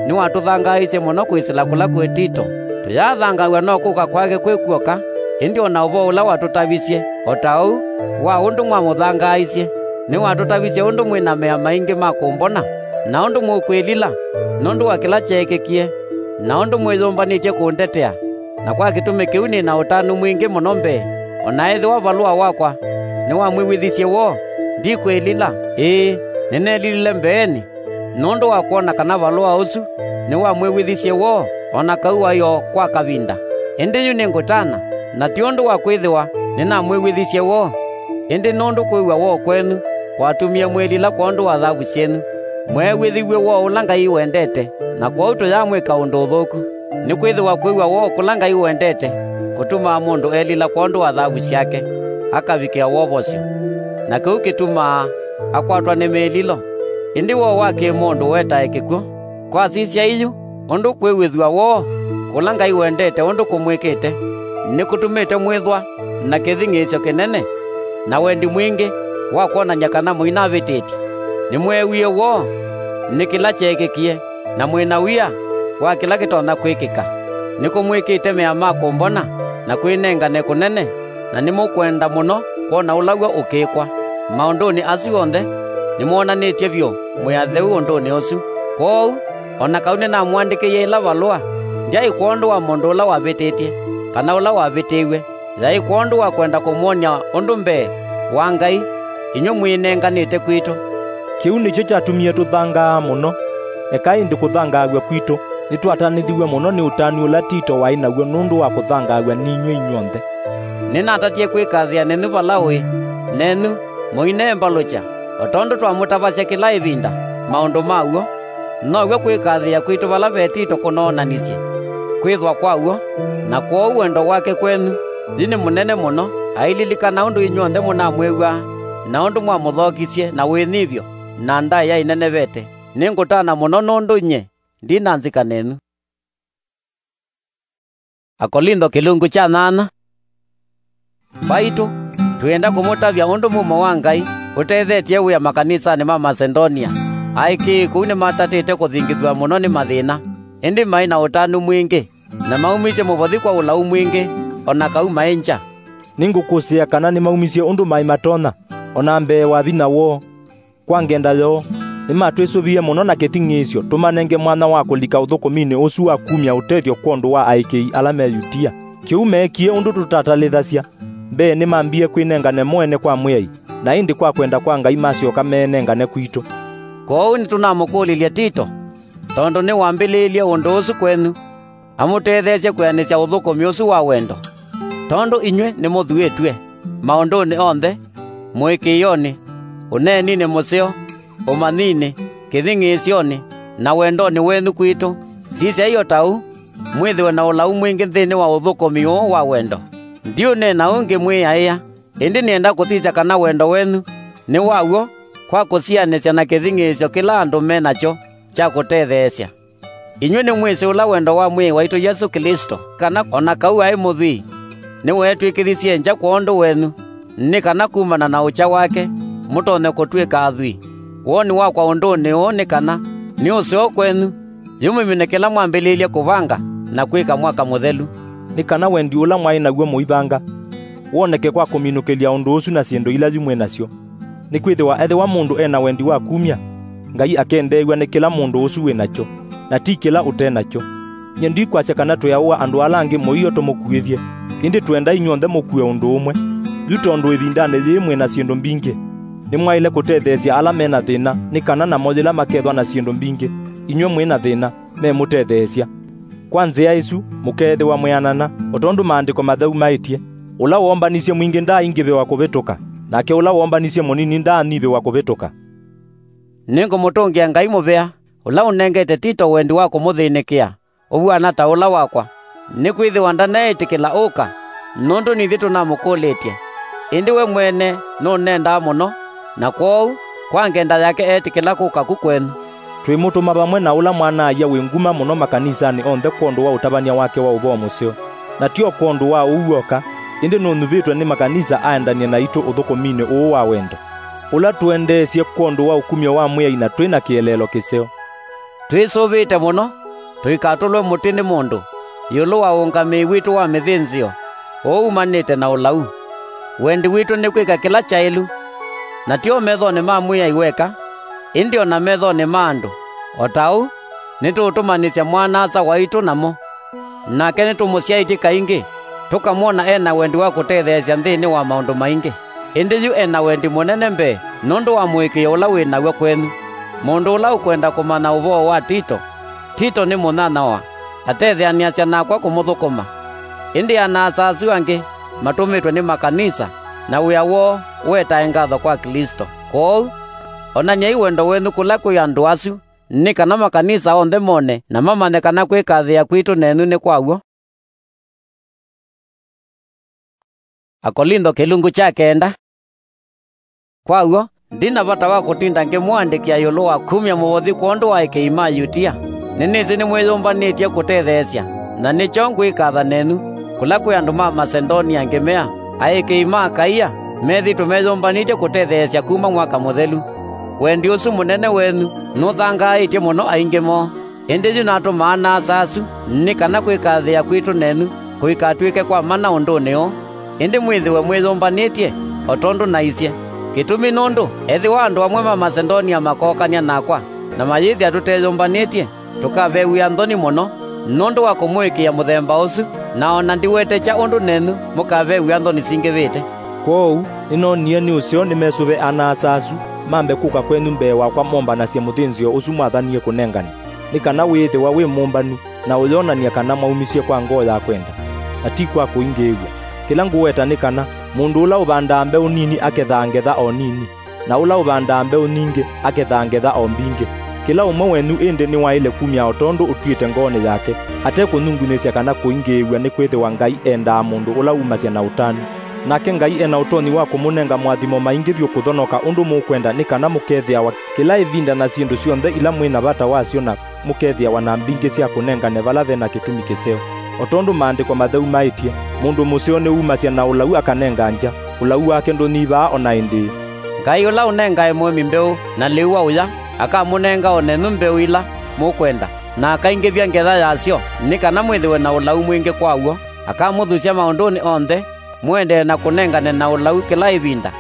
nĩwatũthangaaisye mũno kwĩsĩla kũla kwĩ Tito. Tũyathangaaw'a no kũka kwake kwĩ kw'oka, ĩndĩ o na ũvoo ũla watũtavisye, o ta ũu wa ũndũ mwamũthangaaisye, nĩwatũtavisye ũndũ mwĩ na mea maingĩ ma kũmbona, na ũndũ mũkwĩlila nũndũ wa kĩla kyeekĩkie, na ũndũ mwĩyũmbanĩtye kũndetea. Na kwa kĩtumi kĩu nĩ na ũtanu mwingĩ mũno mbee, o na ethĩwa valũa wakwa nĩwamwĩw'ĩthisye woo, ndikwĩlila. Ĩĩ, nĩneelilile mbeenĩ nũndũ wa kwona kana valũa ũsu nĩwamwĩw'ĩthisye woo, o na kau waĩ o kwa kavinda. Ĩndĩ yu nĩngũtana, na ti ũndũ wa kwĩthĩwa nĩnamwĩw'ĩthisye woo, ĩndĩ nũndũ kwĩw'a woo kwenyu kwatumie mwĩlila kwondũ wa thavu syenyu. Mweew'ĩthiw'e woo ũla Ngai wendete, na kwoou tũyamwĩka ũndũ ũthũku. Nĩkwĩthĩwa kwĩw'a woo kũla Ngai wendete kũtumaa mũndũ elila kwondũ wa thavu syake, akavikĩa wovosyo. Na kĩu kĩtumaa akwatwa nĩ mĩlilo. Ĩndĩ woo wa kĩ-mũndũ wetae kĩkw'ũ. Kwasisya yu, ũndũ kwĩw'ĩthw'a woo kũla Ngai wendete ũndũ kũmwĩkĩte, nĩkũtumĩte mwĩthwa na kĩthing'ĩĩsyo kĩnene na wendi mwingĩ wa kwonany'a kana mũinavĩtĩtye. Nĩmweewie woo nĩ kĩla kyeekĩkie, na mwĩ na wia wa kĩla kĩtonya kwĩkĩka. Nĩkũmwĩkĩte mea ma kũmbona na kwĩnengane kũnene, na nĩmũkwenda mũno kwona ũla w'o ũkĩkwa. Maũndũnĩ asu onthe, nĩmwonanĩtye vyũ mwĩ atheu ũndũnĩ ũsu. Kwoou, o na kau nĩnamũandĩkĩie ĩla valũa, ndyaĩ kwondũ wa mũndũ ũla wavĩtĩtye, kana ũla wavĩtĩiw'e. Yaĩ kwondũ wa kwenda kũmwony'a ũndũ mbee wa Ngai, inyw'ĩ mwĩnenganĩte kwitũ. Kĩu nĩkyo kyatumie tũthangaa mũno. Eka ĩndĩ kũthangaaw'a kwitũ nĩtwatanĩthiw'e mũno nĩ ũtanu ũla Tito waĩ naw'o nũndũ wa kũthangaaw'a ninyw'ĩ inyw'onthe. Nĩnatatie kwĩkathĩa nenyu vala ũĩ, nenyu mũineembalũkya, o tondũ twamũtavasya kĩla ĩvinda maũndũ ma w'o. Now'o kwĩkathĩĩa kwitũ vala ve Tito kũnoonanisye kwĩthwa kwa w'o, na kwoou wendo wake kwenyu yu nĩ mũnene mũno, aililikana ũndũ inyw'onthe mũnamwĩw'aa, na ũndũ mwamũthokisye na wĩnyivyo na ndaĩa ĩnenevete. Nĩngũtana mũno nũndũ nyie ndi na nzika nenyu. Akolintho kĩlungu kya nyanya. Mbaitũ, twĩenda kũmũtavya ũndũ mumo wa Ngai ũtethetye wĩa makanisanĩ ma Masedonia. Aĩkĩĩi kũu nĩmatatĩte kũthingithw'a mũno nĩ mathĩna, ĩndĩ maĩ na ũtanu mwingĩ, na maumisye mũvothi kwa ũlau mwingĩ, o na kau maĩ ngya. Nĩngũkũsĩĩa kana nĩmaumisye ũndũ maĩ matonya, o na mbee wa vinya woo. Kwa ngenda yoo, nĩmatwĩsũvie mũno na kĩthing'ĩĩsyo tũmanenge mwanya wa kũlika ũthũkũminĩ ũsu wa kumya ũtethyo kwondũ wa aĩkĩĩi ala me Yutia. Kĩu meekie ũndũ tũtatalĩthasya. Mbee nĩmambie kwĩnengane mo ene kwa Mwĩai, na ĩndĩ kwa kwenda kwa Ngai masyoka meenengane kwitũ. Kwoou nĩtũnamũkũlilye Tito, tondũ nĩwambĩlĩĩlye ũndũ ũsu kwenyu, amũtetheesye kwĩanĩsya ũthũkũmi ũsu wa wendo. Tondũ inyw'ĩ nĩmũthuĩtw'e maũndũnĩ onthe, mũĩkĩĩonĩ, ũneeninĩ mũseo, ũmanyinĩ, kĩthing'ĩĩsyonĩ, na wendonĩ wenyu kwitũ, sisyai o ta ũu, mwĩthĩwe na ũlau mwingĩ nthĩnĩ wa ũthũkũmi ũũ wa wendo. Ndiũneena ũu ngĩmwĩaĩa, ĩndĩ nĩenda kũsisya kana wendo wenyu nĩ wa w'o kwa kũsianĩsya na kĩthing'ĩĩsyo kĩla andũ me nakyo kya kũtetheesya. Inyw'ĩ nĩmwĩsĩ ũla wendo wa Mwĩai waitũ Yesũ Klĩsto, kana o na kau aĩ mũthwii, nĩweetw'ĩkĩthisye ngya kwondũ wenyu, nĩ kana kumana na ũkya wake mũtonye kũtw'ĩka athwii. Woni wakwa ũndũnĩ ũũ nĩ kana nĩ ũseo kwenyu, yu mũmine kĩla mwambĩlĩĩlye kũvanga na kwĩka mwaka mũthelu. Nĩ kana wendi ũla mwaĩ naw'o mũivanga woneke kwa kũminũkĩlya ũndũ ũsu na syĩndũ ila yu mwĩ nasyo. Nĩkwĩthĩwa ethĩwa mũndũ e na wendi wa kumya, Ngai akendeew'a nĩ kĩla mũndũ ũsu wĩ nakyo, na ti kĩla ũte nakyo. Nyie ndikwasya kana twĩaũa andũ ala angĩ mũio tũmũkuĩthye, ĩndĩ twenda inyw'onthe mũkue ũndũ ũmwe. Yu tondũ ĩvindanĩ yĩĩ mwĩ na syĩndũ mbingĩ, nĩmwaĩle kũtetheesya ala me na thĩna, nĩ kana namo yĩla makethwa na syĩndũ mbingĩ, inyw'ĩ mwĩ na thĩna, memũtetheesya. Kwa nzĩa ĩsu, mũkeethĩwa mwĩanana, o tondũ Maandĩko Matheu maĩtye, "Ũla woombanisye mwingĩ ndaaingĩvĩwa kũvĩtũka, nake ũla woombanisye mũnini ndaanyivĩwa kũvĩtũka." Nĩngũmũtũngĩa Ngai mũvea, ũla ũnengete Tito wendi wa kũmũthĩnĩkĩa ũvw'ana ta ũla wakwa, nĩkwĩthĩwa ndaneetĩkĩla ũka, nũndũ nithyĩ tũnamũkũlĩtye, ĩndĩ we mwene nũnendaa mũno, na kwoou, kwa ngenda yake eetĩkĩla kũka ku kwenyu. Twĩmũtũma vamwe na ũla mwana-a-ia wĩ nguma mũno makanisanĩ onthe kwondũ wa ũtavany'a wake wa ũvoo mũseo. Na ti o kwondũ wa ũu w'oka, ĩndĩ nũnyuvĩtwe nĩ makanisa aendany'e naitũ ũthũkũminĩ ũũ wa wendo, ũla tũendeesye kwondũ wa ũkumyo wa Mwĩai na twĩ na kĩeleelo kĩseo. Twĩsũvĩte mũno tũikatũlwe mũtĩ nĩ mũndũ ĩũlũ wa ũngamĩi witũ wa mĩthĩnzĩo ũũ umanĩte na ũlau. Wendi witũ nĩ kwĩka kĩla kyaĩlu, na ti o methonĩ ma Mwĩai weka, ĩndĩ o na methonĩ ma andũ. O ta ũu, nĩtũũtũmanyĩsya mwana-a-asa waitũ namo. Nake nĩtũmũsyaĩtye kaingĩ, tũkamwona e na wendi wa kũtetheesya nthĩnĩ wa maũndũ maingĩ. Ĩndĩ yu e na wendi mũnene mbee nũndũ wa mũĩkĩĩo ũla wĩ naw'o kwenyu. Mũndũ ũla ũkwenda kũmanya ũvoo wa Tito, Tito nĩ mũnyanyawa, atetheanĩasya nakwa kũmũthũkũma. Ĩndĩ ana-a-asa asu angĩ matũmĩtwe nĩ makanisa, na wĩa woo ũetae ngatho kwa Klĩsto. Kwoou, onany'ai wendo wenyu kũla kwĩ andũ asu, nĩ kana makanisa onthe mone na mamanye kana kwĩkathĩĩa kwitũ nenyu nĩ kwa w'o. Akolintho kĩlungu kya kenda. Kwa w'o, ndi na vata wa kũtinda ngĩmũandĩkĩa ĩũlũ wa kumya mũvothi kwondũ wa aĩkĩĩi ma Yutia. Nĩnĩsĩ nĩmwĩyũmbanĩtye kũtetheesya, na nĩkyo ngwĩkatha nenyu. Kũla kwĩ andũ ma Masedonia ngĩmea, aĩkĩĩi ma Akaia methĩĩtwe meyũmbanĩtye kũtetheesya kuma mwaka mũthelu. Wendi ũsu mũnene wenyu nũthangaaĩtye mũno aingĩ moo. Ĩndĩ yu natũma ana-a-asa asu nĩ kana kwĩkathĩĩa kwitũ nenyu kũikatw'ĩke kwa mana ũndũnĩ ũũ, ĩndĩ mwĩthĩwe mwĩyũmbanĩtye o tondũ naisye. Kĩtumi nũndũ ethĩwa andũ amwe ma Masedonia makookany'a nakwa na mayĩthĩa tũteyũmbanĩtye, tũkave wĩa nthoni mũno nũndũ wa kũmũĩkĩĩa mũthemba ũsu, na o na ndiwetekya ũndũ nenyu mũkave wĩa nthoni singĩvĩte. Kwoou nĩnoonie nĩ ũseo nĩmesũve ana-a-asa asu mambe kũka kwenyu mbee wakwa mombanasye mũthĩnzĩo ũsu mwathanie kũnengane, nĩ kana wĩĩthĩwa wĩ mũmbanu, na ũyonany'a kana mwaumisye kwa ngoo ya kwenda, na ti kwa kũingĩĩw'a. Kĩla ngũweta nĩ kana, mũndũ ũla ũvandaa mbeũ nini akethaa ngetha o nini, na ũla ũvandaa mbeũ nyingĩ akethaa ngetha o mbingĩ. Kĩla ũmwe wenyu ĩndĩ nĩwaĩle kumya o tondũ ũtw'ĩte ngoonĩ yake, ate kũnyungunĩsya kana kũingĩĩw'a, nĩkwĩthĩwa Ngai endaa mũndũ ũla wumasya na ũtanu. Nake Ngai e na ũtonyi wa kũmũnenga moathimo maingĩ vyũ kũthonoka ũndũ mũkwenda, nĩ kana mũkethĩawa kĩla ĩvinda na syĩndũ syonthe ila mwĩ na vata wasyo, na mũkethĩawa na mbingĩ sya kũnengane vala ve na kĩtumi kĩseo. O tondũ Maandĩko Matheu maĩtye, "Mũndũ mũseo nĩwumasya na ũlau akanenga ngya, ũlau wake ndũnyivaa o na ĩndĩĩ." Ngai ũla ũnengae mũĩmi mbeũ na lĩu wa ũya, akamũnenga o nenyu mbeũ ila mũkwenda, na akaingĩvya ngetha yasyo, nĩ kana mwĩthĩwe na ũlau mwingĩ kwa w'o. Akamũthusya maũndũnĩ onthe, mũendee na kũnengane na ũlau kĩla ĩvinda,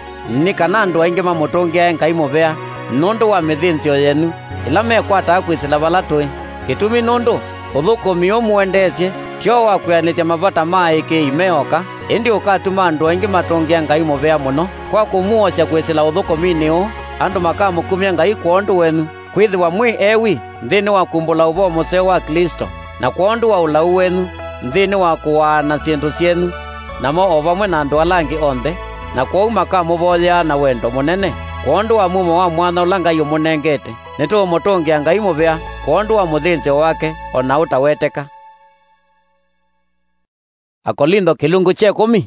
nĩ kana andũ aingĩ mamũtũngĩae Ngai mũvea nũndũ wa mĩthĩnzĩo yenyu ĩla mekwataa kwĩsĩla vala tũĩ. Kĩtumi nũndũ ũthũkũmi ũũ mũendeesye ti o wa kwĩanĩsya mavata ma aĩkĩĩi me oka, ĩndĩ ũkatuma andũ aingĩ matũngĩa Ngai mũvea mũno. Kwa kũmwosya kwĩsĩla ũthũkũminĩ ũũ, andũ makamũkumya Ngai kwondũ wenyu, kwĩthĩwa mwĩ ewi nthĩnĩ wa kumbũla ũvoo mũseo wa Klĩsto, na kwondũ wa ũlau wenyu nthĩnĩ wa kũaana syĩndũ syenyu namo o vamwe na andũ ala angĩ onthe, na kwoou makamũvoyeaa na wendo mũnene kwondũ wa mumo wa mwanya ũla Ngai ũmũnengete. Nĩtũũmũtũngĩa Ngai mũvea kwondũ wa mũthĩnzĩo wake o na ũtaweteka. Akolintho kĩlungu kya ĩkũmi.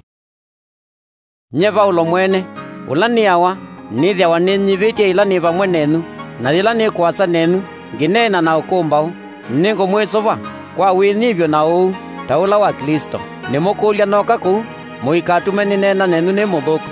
Nyie Vaulo mwene, ũla nĩawa, nĩthĩawa nĩnyivĩtye yĩla nĩ vamwe nenyu, na yĩla nĩ kũasa nenyu, ngĩneena na ũkũmbaũ, nĩngũmwĩsũva kwa wĩnyivyo na ũuu ta ũla wa Klĩsto. Nĩmũkũlya nooka kũu, mũikatume nĩneena nenyu nĩ mũthũku,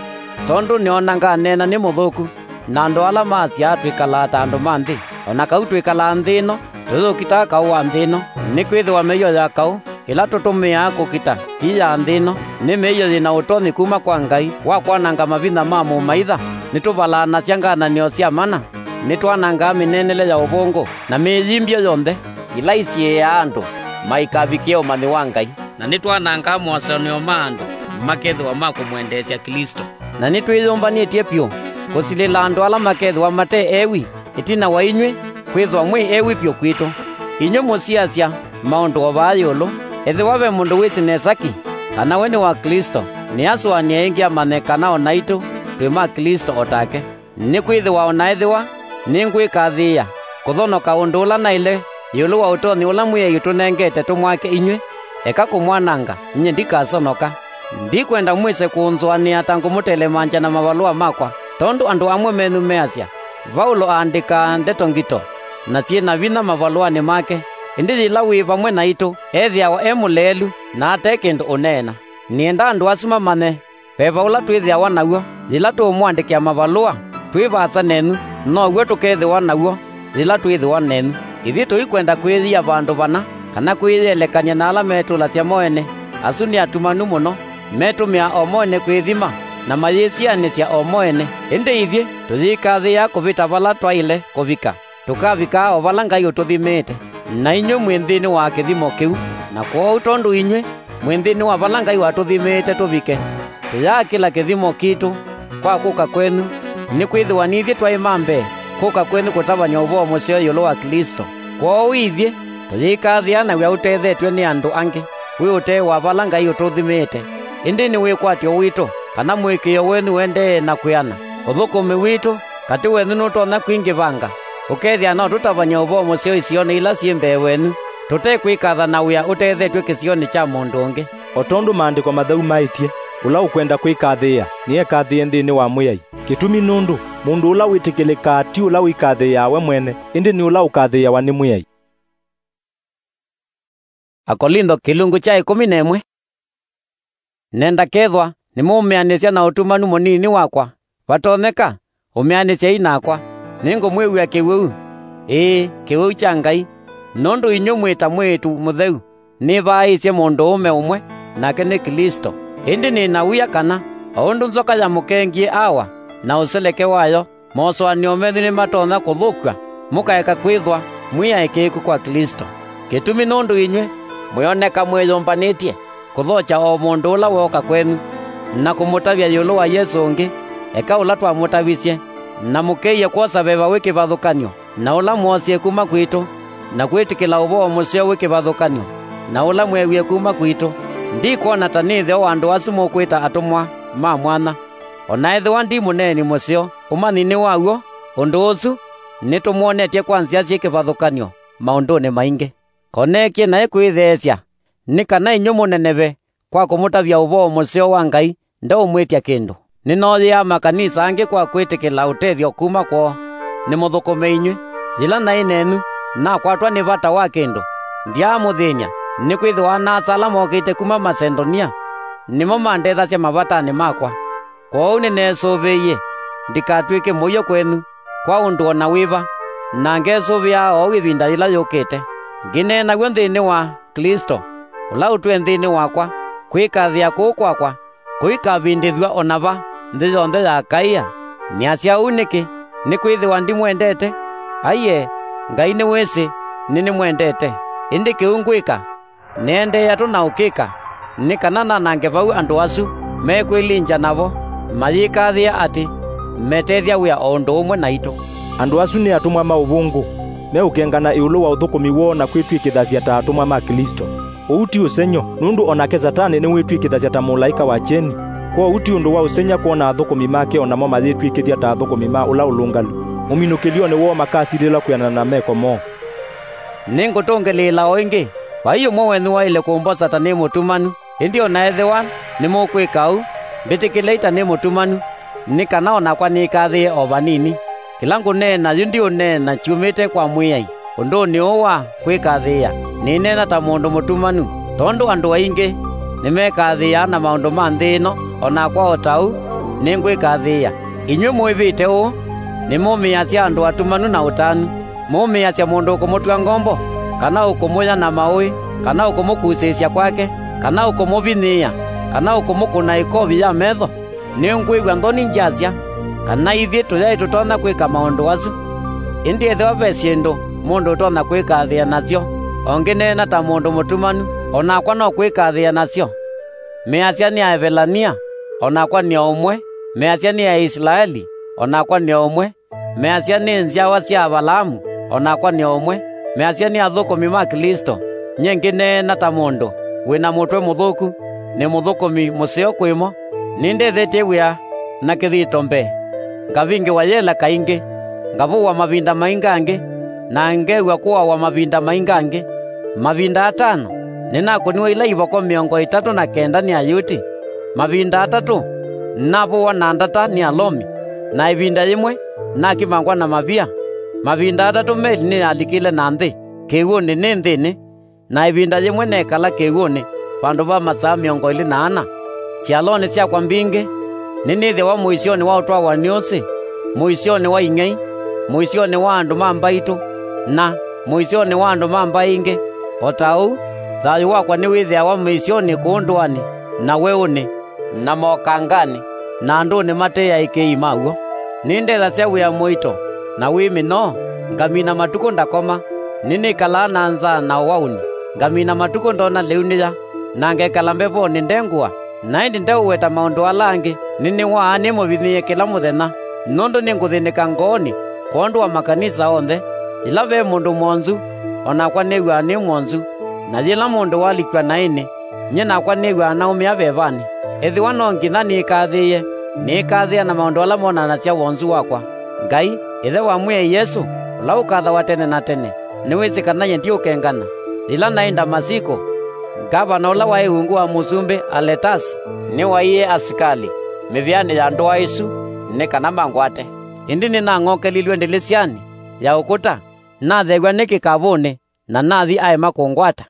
tondũ nĩona nganeena nĩ mũthũku na andũ ala maasyaa twĩkalaa ta andũ ma nthĩ. O na kau twĩkalaa nthĩ ĩno, tũyũkitaa kaũ wa nthĩ ĩno, nĩkwĩthĩwa mĩio ya kaũ ĩla tũtũmĩaa kũkita ti ya nthĩ ĩno, nĩ mĩio yĩ na ũtonyi kuma kwa Ngai wa kwananga mavinya ma mũmaitha. Nĩtũvalaanasya ngananĩo sya mana, nĩtwanangaa mĩneenele ya ũvũngũ na mĩĩyimbyo yonthe, ila isiĩĩaa andũ maikavikĩe ũmanyi wa Ngai. Na nĩtwanangaa mosoneo ma andũ makethĩwa ma kũmwendeesya Klĩsto. Na nĩtwĩyũmbanĩtye vyũ kũsilĩla andũ ala makethĩwa mate ewi ĩtina wa inyw'ĩ kwĩthwa mwĩ ewi vyũ kwitũ. Inyw'ĩ mũsiasya maũndũ o vaa ĩũlũ, ethĩwa ve mũndũ wĩsĩ nesa ki kana we nĩ wa Klĩsto, nĩasũanĩe ĩngĩ amanye kana o naitũ twĩ ma Klĩsto o take. Nĩkwĩthĩwa o na ethĩwa nĩngwĩkathĩĩa kũthonoka ũndũ ũla naĩle ĩũlũ wa ũtonyi ũla Mwĩai ũtũnengete tũmwake inyw'ĩ, eka kũmwananga, nyie ndikasonoka. Ndikwenda mwĩse kũnzũanĩa ta ngũmũtelemangya na mavalũa makwa, tondũ andũ amwe menyu measya, "Vaulo aandĩkaa ndeto ngito na syĩ na vinya mavalũanĩ make, ĩndĩ yĩla wĩ vamwe naitũ, ethĩawa e mũleelu na ate kĩndũ ũneena." Nĩenda andũ asu mamanye veva ũla twĩthĩawa naw'o yĩla tũũmũandĩkĩa mavalũa twĩ vaasa nenyu, now'o tũkethĩwa naw'o yĩla twĩthĩwa nenyu. Ithyĩ tũikwenda kwĩyia vandũ vana, kana kwĩyĩelekany'a na ala metũlasya moene. Asu nĩ atumanu mũno, metũmĩaa o moene kwĩthima, na mayĩsianĩsya o moene. Ĩndĩ ithyĩ tũyĩkathĩĩa kũvĩta vala twaĩle kũvika, tũkavikaa o vala Ngai ũtũthimĩĩte, na inyw'ĩ mwĩ nthĩnĩ wa kĩthimo kĩu. Na kwoou tondũ inyw'ĩ mwĩ nthĩnĩ wa vala Ngai watũthimĩĩte tũvike, tũyaakĩla kĩthimo kitũ kwa kũka kwenyu, nĩkwĩthĩwa nithyĩ twaĩ ma mbee kũka kwenyu kũtavany'a ũvoo mũseo ĩũlũ wa Klĩsto. Kwoou ithyĩ tũyĩkathĩĩa na wĩa ũtethetw'e nĩ andũ angĩ wĩ ũtee wa vala Ngai ũtũthimĩĩte, ĩndĩ nĩ wĩkwatyo witũ kana mũĩkĩĩo wenyu ũendee na kwĩana. Ũthũkũmi witũ katĩ wenyu nũtonya kwingĩvanga, ũkethĩa no tũtavany'e ũvoo mũseo isionĩ ila syĩ mbee wenyu, tũte kwĩkatha na wĩa ũtethetw'e kĩsionĩ kya mũndũ ũngĩ. O tondũ Maandĩko Matheu maĩtye, "Ũla ũkwenda kwĩkathĩĩa, nĩekathĩĩe nthĩnĩ wa Mwĩai." Kĩtumi nũndũ mũndũ ũla wĩtĩkĩlĩkaa ti ũla wĩkathĩĩaa we mwene, ĩndĩ nĩ ũla ũkathĩĩawa nĩ Mwĩai. Akolintho kĩlungu kya ĩkũmi na ĩmwe. Nenda kethwa nĩmũũmĩanĩsya na ũtumanu mũnini wakwa, vatonyeka, ũmĩanĩsyai nakwa. Nĩngũmwĩw'a kĩwĩu, ĩĩ, kĩwĩu kya Ngai, nũndũ inyw'ĩ mwĩ ta mwĩĩtu mũtheu nĩvaaĩsye mũndũũme ũmwe, nake nĩ Klĩsto. Ĩndĩ nĩ na wia kana, o ũndũ nzoka yamũkengie Awa na ũseleke wayo, mosũanĩo menyu nĩmatonya kũthũkw'a, mũkaeka kwĩthwa mwĩ aĩkĩĩku kwa Klĩsto. Kĩtumi nũndũ inyw'ĩ mwĩoneka mwĩyũmbanĩtye kũthokya o mũndũ ũla wooka kwenyu, na kũmũtavya ĩũlũ wa Yesũ ũngĩ, eka ũla twamũtavisye, na mũkĩie kwosa veva wĩ kĩvathũkany'o, na ũla mwoosie kuma kwitũ, na kwĩtĩkĩla ũvoo mũseo wĩ kĩvathũkany'o, na ũla mweewie kuma kwitũ. Ndikwona ta nĩ ĩtheo wa andũ asu mũkwĩta atũmwa ma mwanya. O na ethĩwa ndi mũneeni mũseo, ũmanyi nĩ wa w'o, ũndũ ũsu nĩtũmwonetye kwa nzĩa syĩ kĩvathũkany'o maũndũnĩ maingĩ. Ko neekie naĩ kwĩtheesya, nĩ kana inyw'ĩ mũneneve kwa kũmũtavya ũvoo mũseo wa Ngai ndeũmwĩtya kĩndũ. Nĩnooyĩaa makanisa angĩ kwa kwĩtĩkĩla ũtethyo kuma kwoo. Nĩmũthũkũme inyw'ĩ. Yĩla naĩ nenyu, nakwatwa nĩ vata wa kĩndũ, ndyaamũthĩny'a, nĩkwĩthĩwa ana-a-asa ala mokĩte kuma Masedonia nĩmo mandethasya mavatanĩ makwa. Kwoou nĩneesũvĩie ndikatw'ĩke mũio kwenyu kwa ũndũ o na wĩva, na ngesũvĩaa oou ĩvinda yĩla yũkĩte. Ngĩneena w'o nthĩnĩ wa Klĩsto, ũla ũtwĩe nthĩnĩ wakwa, kwĩkathĩĩa kũu kwakwa kũikavindĩthw'a o na va nthĩ yonthe ya Akaia. Nĩasya ũu nĩkĩ? Nĩkwĩthĩwa ndimwendete? Aiee, Ngai nĩwĩsĩ nĩnĩmwendete. Ĩndĩ kĩu ngwĩka, nĩendeea tũ na ũkĩka, nĩ kana nanange vau andũ asu mekwĩlingya navo, mayĩkathĩĩa atĩ metethya wĩa o ũndũ ũmwe naitũ. Andũ asu nĩ atũmwa ma ũvũngũ, meũkengana ĩũlũ wa ũthũkũmi woo na kwĩtw'ĩkĩthasya ta atũmwa ma Klĩsto. Ũu ti ũsengy'o, nũndũ o nake Satanĩ nĩwĩtw'ĩkĩthasya ta mũlaĩka wa kyeni. Kwoou ti ũndũ wa ũsengy'a kwona athũkũmi make o namo mayĩtw'ĩkĩthya ta athũkũmi ma ũla ũlũngalu. Mũminũkĩlyonĩ woo makasilĩlwa kwĩanana na meko moo. Nĩngũtũngĩlĩĩla o ĩngĩ, vai ũmwe wenyu waĩle kũmbosa ta nĩ mũtumanu. Ĩndĩ o na ethĩwa nĩmũkwĩka ũu, mbĩtĩkĩlei ta nĩ mũtumanu, nĩ kana o nakwa nĩkathĩĩe o vanini. Kĩla ngũneena yu ndiũneena kyumĩte kwa Mwĩai ũndũnĩ ũũ wa kwĩkathĩĩa, nĩneena ta mũndũ mũtumanu, tondũ andũ aingĩ nĩmekathĩĩaa na maũndũ ma nthĩ ĩno, o nakwa o ta ũu nĩngwĩkathĩĩa. Inyw'ĩ mwĩvĩte ũũ, nĩmũmĩĩasya andũ atumanu na ũtanu. Mũmĩĩasya mũndũ ũkũmũtw'a ngombo, kana ũkũmũya na maũĩ, kana ũkũmũkusĩĩsya kwake, kana ũkũmũvinyĩĩa, kana ũkũmũkũna ĩkovi ya metho? Nĩngwĩw'a nthoni ngyasya kana ithyĩ tũyaĩ tũtonya kwĩka maũndũ asu. Ĩndĩ ethĩwa ve syĩndũ mũndũ ũtonya kwĩkathĩĩa nasyo, o ngĩneena ta mũndũ mũtumanu, o nakwa no kwĩkathĩĩa nasyo. Measya nĩ Aevelania, o nakwa nĩ o ũmwe. Measya nĩ Aisilaeli, o nakwa nĩ o ũmwe. Measya nĩ nzyawa sya Avalaamu, o nakwa nĩ o ũmwe. Measya nĩ athũkũmi ma Klĩsto, nyie ngĩneena ta mũndũ wĩ na mũtwe mũthũku, nĩ mũthũkũmi mũseo kwĩ mo. Nĩndethetye wĩa na kĩthito mbee, ngavingĩwa yela kaingĩ, ngavũwa mavinda maingangĩ, na ngew'a kũawa mavinda maingangĩ. Mavinda atano nĩnakũniwe ila ivoko mĩongo ĩtatũ na kenda nĩ Ayuti. Mavinda atatũ nĩnavũwa na ndata nĩ Alomi, na ĩvinda yĩmwe nakimangwa na mavia. Mavinda atatũ meli nĩyalikile na nthĩ kĩw'ũnĩ nĩ nthĩnĩ, na ĩvinda yĩmwe neekala kĩw'ũnĩ vandũ va masaa mĩongo ĩlĩ na ana. Syalonĩ syakwa mbingĩ nĩnĩthĩawa mũisyonĩ wa ũtwawa nĩ ũsĩ, mũisyonĩ wa ing'ei, mũisyonĩ wa andũ ma mbaitũ, na mũisyonĩ wa andũ ma mbaĩ ingĩ. O ta ũu, thayũ wakwa nĩwĩthĩawa mĩisyonĩ kũu ndũanĩ, na weũnĩ, na mokanganĩ, na andũnĩ mate aĩkĩĩi ma w'o. Nĩndethasya wĩa mũito na wĩ mĩnoo, ngamina matukũ ndakoma. Nĩnĩkalaa na nzaa na ũaũni, ngamina matukũ ndoona lĩu nĩya, na ngekala mbevonĩ nde ngũa. Na ĩndĩ ndeũweta maũndũ ala angĩ, nĩnĩwaa nĩmũvinyĩĩe kĩla mũthenya, nũndũ nĩngũthĩnĩka ngoonĩ kwondũ wa makanisa onthe. Yĩla ve mũndũ mwonzu, o nakwa nĩw'aa nĩ mwonzu, na yĩla mũndũ walikw'a naĩnĩ, nyie nakwa nĩw'aa naumĩa vevanĩ. Ethĩwa no nginya nĩkathĩĩe, nĩkathĩĩa na maũndũ ala monanasya wonzu wakwa. Ngai, Ĩthe wa Mwĩai Yesũ, ũla ũkathawa tene na tene, nĩwĩsĩ kana nyie ndiũkengana. Yĩla naĩ Ndamasiko, ngavana ũla waĩ ungu wa Mũsumbĩ Aletasi nĩwaĩie asikalĩ mĩvĩanĩ ya ndũa ĩsu nĩ kana mangwate. Ĩndĩ nĩnang'okelilw'e ndĩlĩsyanĩ ya ũkũta, natheew'a nĩ kĩkavũnĩ, na nathi aema kũngwata.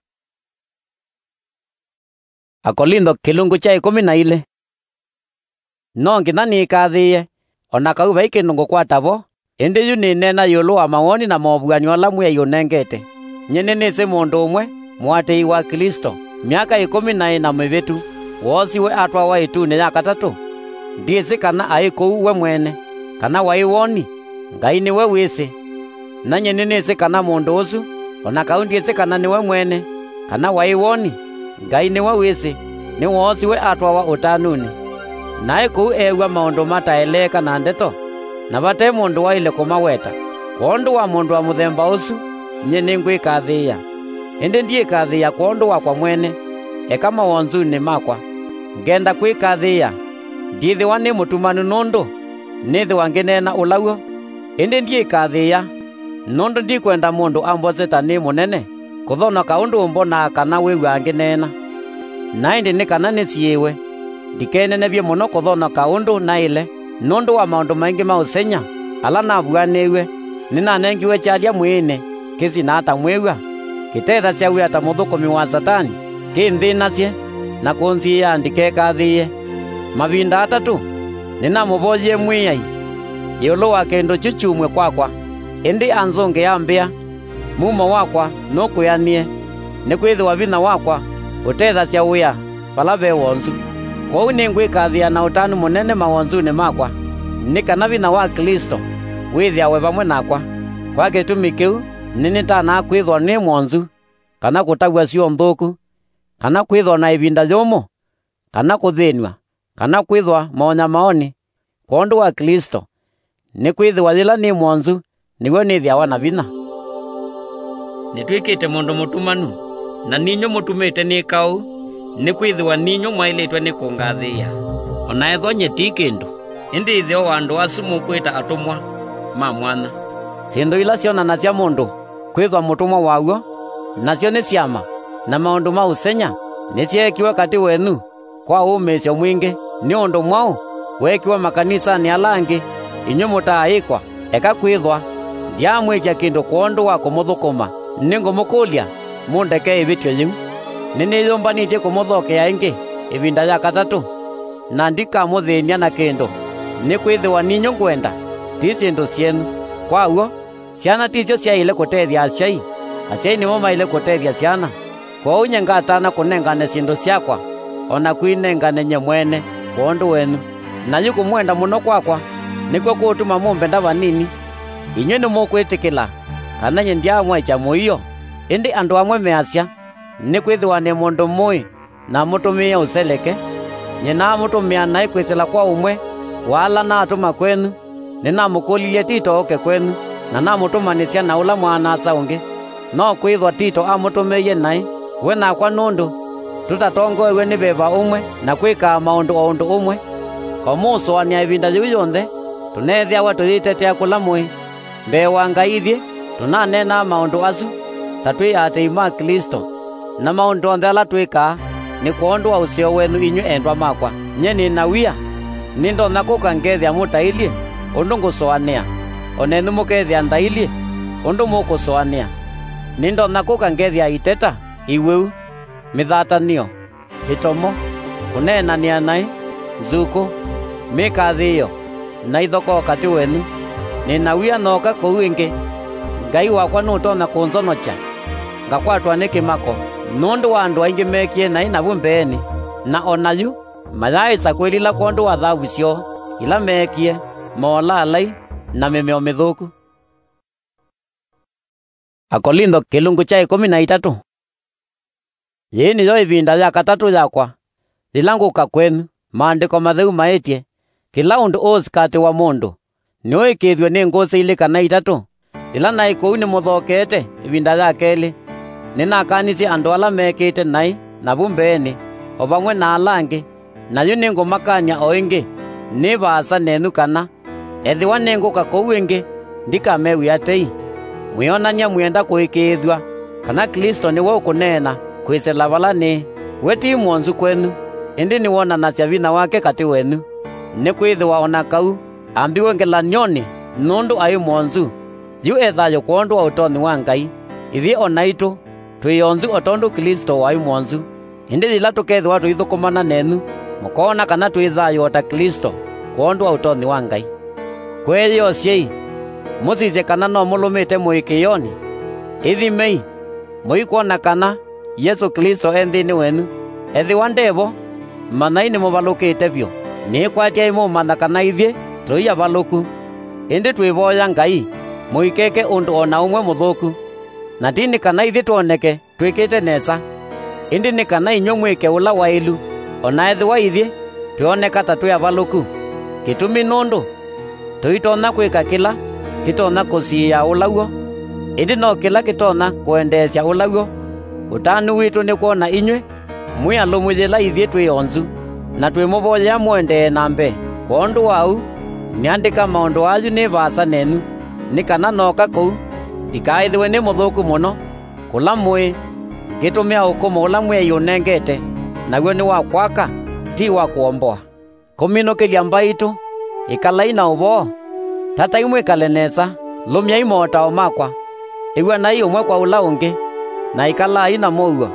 Akolintho kĩlungu kya ĩkũmi na ilĩ. No nginya nĩkathĩĩe, o na kau vai kĩndũ ngũkwata vo, ĩndĩ yu nĩneena ĩũlũ wa mawoni na movuan'yo ala Mwĩai ũnengete. Nyie nĩnĩsĩ mũndũ ũmwe, mũatĩĩi wa Klĩsto, myaka ĩkũmi na ĩna mĩvĩtu, woosiwe atwawa ĩtunĩ ya katatũ. Ndyĩsĩ kana aĩ kũu we mwene, kana waĩ woni, Ngai nĩwe wĩsĩ. Na nyie nĩnĩsĩ kana mũndũ ũsu, o na kau ndyĩsĩ kana nĩwe mwene, kana waĩ woni, Ngai nĩwe wĩsĩ, nĩwoosiwe atwawa ũtanunĩ. Naĩ kũu eew'a maũndũ mataeleeka na ndeto, na vate mũndũ waĩle kũmaweta. Kwondũ wa mũndũ wa mũthemba ũsu, nyie nĩngwĩkathĩĩa. Ĩndĩ ndyĩkathĩĩa kwondũ wakwa mwene, eka mawonzunĩ makwa. Ngenda kwĩkathĩĩa, ndyĩthĩwa nĩ mũtumanu nũndũ nĩthĩwa ngĩneena ũla w'o. Ĩndĩ ndyĩkathĩĩa Nũndũ ndikwenda mũndũ ambose ta nĩ mũnene kũthonoka ũndũ ũmbonaa kana wĩw'aa ngĩneena. Na ĩndĩ nĩ kana nĩsiĩĩwe, ndikenenevye mũno kũthonoka ũndũ naĩle, nũndũ wa maũndũ maingĩ ma ũseng'ya ala navuanĩw'e, nĩnanengiwe kyalya mwĩĩnĩ kĩsinaa ta mwĩw'a, kĩtethasya wĩa ta mũthũkũmi wa Satani, kĩnthĩnasye, na kũnsiĩĩa ndikekathĩĩe. Mavinda atatũ nĩnamũvoyie Mwĩai ĩũlũ wa kĩndũ kyu kyumw'e kwakwa, ĩndĩ anzũngĩa ambĩa, "Mumo wakwa nũkwĩanĩe, nĩkwĩthĩwa vinya wakwa ũtethasya wĩa vala ve wonzu." Kwoou nĩngwĩkathĩĩa na ũtanu mũnene mawonzunĩ makwa, nĩ kana vinya wa Klĩsto wĩthĩawe vamwe nakwa. Kwa kĩtumi kĩu nĩnĩtanaa kwĩthwa nĩ mwonzu, kana kũtaw'a syũa nthũku, kana kwĩthwa na ĩvinda yũmũ, kana kũthĩnw'a, kana kwĩthwa maũnyamaonĩ kwondũ wa Klĩsto, nĩkwĩthĩwa yĩla nĩ mwonzu nĩw'o nĩthĩawa na vinya. Nĩtw'ĩkĩte mũndũ mũtumanu, na ninyw'ĩ mũtumĩte nĩka ũu, nĩkwĩthĩwa ninyw'ĩ mwaĩlĩtwe nĩ kũngathĩĩa, o na ethwa nyie ti kĩndũ. Ĩndĩ ĩtheo wa andũ asu mũkwĩta atũmwa ma mwanya. Syĩndũ ila syonanasya mũndũ kwĩthwa mũtũmwa waw'o, nasyo nĩ syama, na maũndũ ma ũseng'ya, nĩsyeekiwe katĩ wenyu kwa ũũmĩĩsyo mwingĩ, nĩ ũndũ mwaũ weekiwe makanisanĩ ala angĩ, inyw'ĩ mũtaaĩkwa. Eka kwĩthwa ndyaamwĩtya kĩndũ kwondũ wa kũmũthũkũma, nĩngũmũkũlya mũndeke ĩvĩtyo yĩu. Nĩnĩyũmbanĩtye kũmũthokea ĩngĩ ĩvinda ya katatũ, na ndikamũthĩny'a na kĩndũ, nĩkwĩthĩwa ninyw'ĩ ngwenda, ti syĩndũ syenyu. Kwa w'o, syana ti syo syaĩle kũtethya asyai, asyai nĩmo maĩle kũtethya syana. Kwoou nyie ngatana kũnengane syĩndũ syakwa, o na kwĩnengane nyie mwene kwondũ wenyu. Na yu kũmwenda mũno kwakwa nĩkw'o kũũtuma mũmbenda vanini. Inyw'ĩ nĩmũkwĩtĩkĩla kana nyie ndyaamwaĩkya mũio. Ĩndĩ andũ amwe measya, "Nĩkwĩthĩwa nĩ mũndũ mũĩ namũtũmĩie ũseleke." Nyie naamũtũmĩa naĩ kwĩsĩla kwa ũmwe wa ala naatũma kwenyu. Nĩnamũkũlilye Tito oke kwenyu, na namũtũmanĩsya na ũla mwana-a-asa ũngĩ. No kwĩthwa Tito amũtũmĩie naĩ, we nakwa nũndũ tũtatongoew'e nĩ veva ũmwe na kwĩkaa maũndũ o ũndũ ũmwe, o mũũsũanĩa ĩvinda yĩu yonthe, tũneethĩawa tũyĩtetea kũla mũĩ. Mbee wa Ngai ithyĩ tũnaneenaa maũndũ asu ta twĩ aatĩĩi ma Klĩsto, na maũndũ onthe ala twĩkaa nĩ kwondũ wa ũseo wenyu inyw'ĩ endwa makwa. Nyie nĩ na wia, nĩndonya kũka ngethĩa mũtailyĩ ũndũ ngũsũanĩa, o nenyu mũkethĩa ndailyĩ ũndũ mũkũsũanĩa. Nĩndonya kũka ngethĩa iteta, iwĩu, mĩthatanĩo, ĩtomo, kũneenanĩa naĩ, nzukũ, mĩkathĩĩo, na ithokoo katĩ wenyu. Nĩ na wia nooka kũu ĩngĩ, Ngai wakwa nũtonya kũnzonokya, ngakwatwa nĩ kĩmako nũndũ wa andũ aingĩ meekie naĩ navu mbeenĩ, na o na yu mayaaĩsa kwĩlila kwondũ wa thavu syoo ila meekie, molalai, na mĩmeo mĩthũku. Akolintho kĩlungu kya ĩkũmi na itatũ. Yĩĩ nĩyo ĩvinda ya katatũ yakwa yĩla ngũka kwenyu, maandĩko matheu maĩtye, kĩla ũndũ ũũsikatĩwa mũndũ nĩũĩkĩĩthw'e nĩ ngũsĩ ilĩ kana itatũ. Yĩla naĩ kũu nĩmũthokeete ĩvinda ya kelĩ, nĩnakanisye andũ ala meekĩĩte naĩ navu mbeenĩ, o vamwe na ala angĩ, na yu nĩngũmakany'a o ĩngĩ, nĩ vaasa nenyu kana, ethĩwa nĩngũka kũu ĩngĩ, ndikamew'ĩa tei. Mwĩonany'a mwĩenda kũĩkĩĩthw'a kana Klĩsto nĩwe ũkũneena kwĩsĩla vala nĩĩ. We ti mwonzu kwenyu, ĩndĩ nĩwonanasya vinya wake katĩ wenyu, nĩkwĩthĩwa o na kau ambiwe ngelany'onĩ nũndũ aĩ mwonzu, yu e thayũ kwondũ wa ũtonyi wa Ngai. Ithyĩ o naitũ twĩ onzu o tondũ Klĩsto waĩ mwonzu. Ĩndĩ yĩla tũkethĩwa tũithũkũmana nenyu, mũkoona kana twĩ thayũ o ta Klĩsto kwondũ wa ũtonyi wa Ngai. Kwĩyĩosyei, mũsisye kana no mũlũmĩte mũĩkĩĩonĩ. Ĩthimei, mũikwona kana Yesũ Klĩsto e nthĩnĩ wenyu. Ethĩwa nde vo, manyai nĩmũvalũkĩte vyũ. Nĩkwatyai mũũmanya kana ithyĩ tũi avalũku. Ĩndĩ twĩvoya Ngai, mũikeke ũndũ o na ũmwe mũthũku. Na ti nĩ kana ithyĩ twoneke twĩkĩte nesa, ĩndĩ nĩ kana inyw'ĩ mwĩke ũla waĩlu, o na ethĩwa ithyĩ twĩoneka ta twĩ avalũku. Kĩtumi nũndũ tũitonya kwĩka kĩla kĩtonya kũsiĩĩa ũla w'o, ĩndĩ no kĩla kĩtonya kũendeesya ũla w'o. Ũtanu witũ nĩ kwona inyw'ĩ mwĩ alũmu yĩla ithyĩ twĩ onzu, na twĩmũvoyea mũendee na mbee. Kwondũ wa ũu, nĩandĩka maũndũ ayu nĩ vaasa nenyu, nĩ kana nooka kũu, Ndikaĩthĩwe nĩ mũthũku mũno kũla mũĩ, ngĩtũmĩa ũkũmũ ũla Mwĩai ũnengete, naw'o nĩ wa kwaka, ti wa kũomboa. Kũminũkĩlya mbaitũ, ĩkalai na ũvoo. Tatai mwĩkale nesa, lũmyai motao makwa. Ĩw'anai ũmwe kwa ũla ũngĩ, na ĩkalai na mũuo.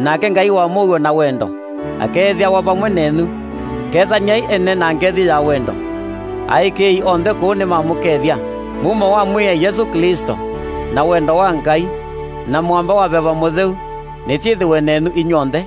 Nake Ngai wa mũuo na wendo akeethĩawa vamwe nenyu. Kethany'ai ene na ngethi ya wendo. Aĩkĩĩi onthe kũũ nĩmamũkethya. Mumo wa Mwĩai Yesũ Klĩsto, na wendo wa Ngai, na Mũamba wa Veva Mũtheu nĩsyĩthĩwe nenyu inyw'onthe.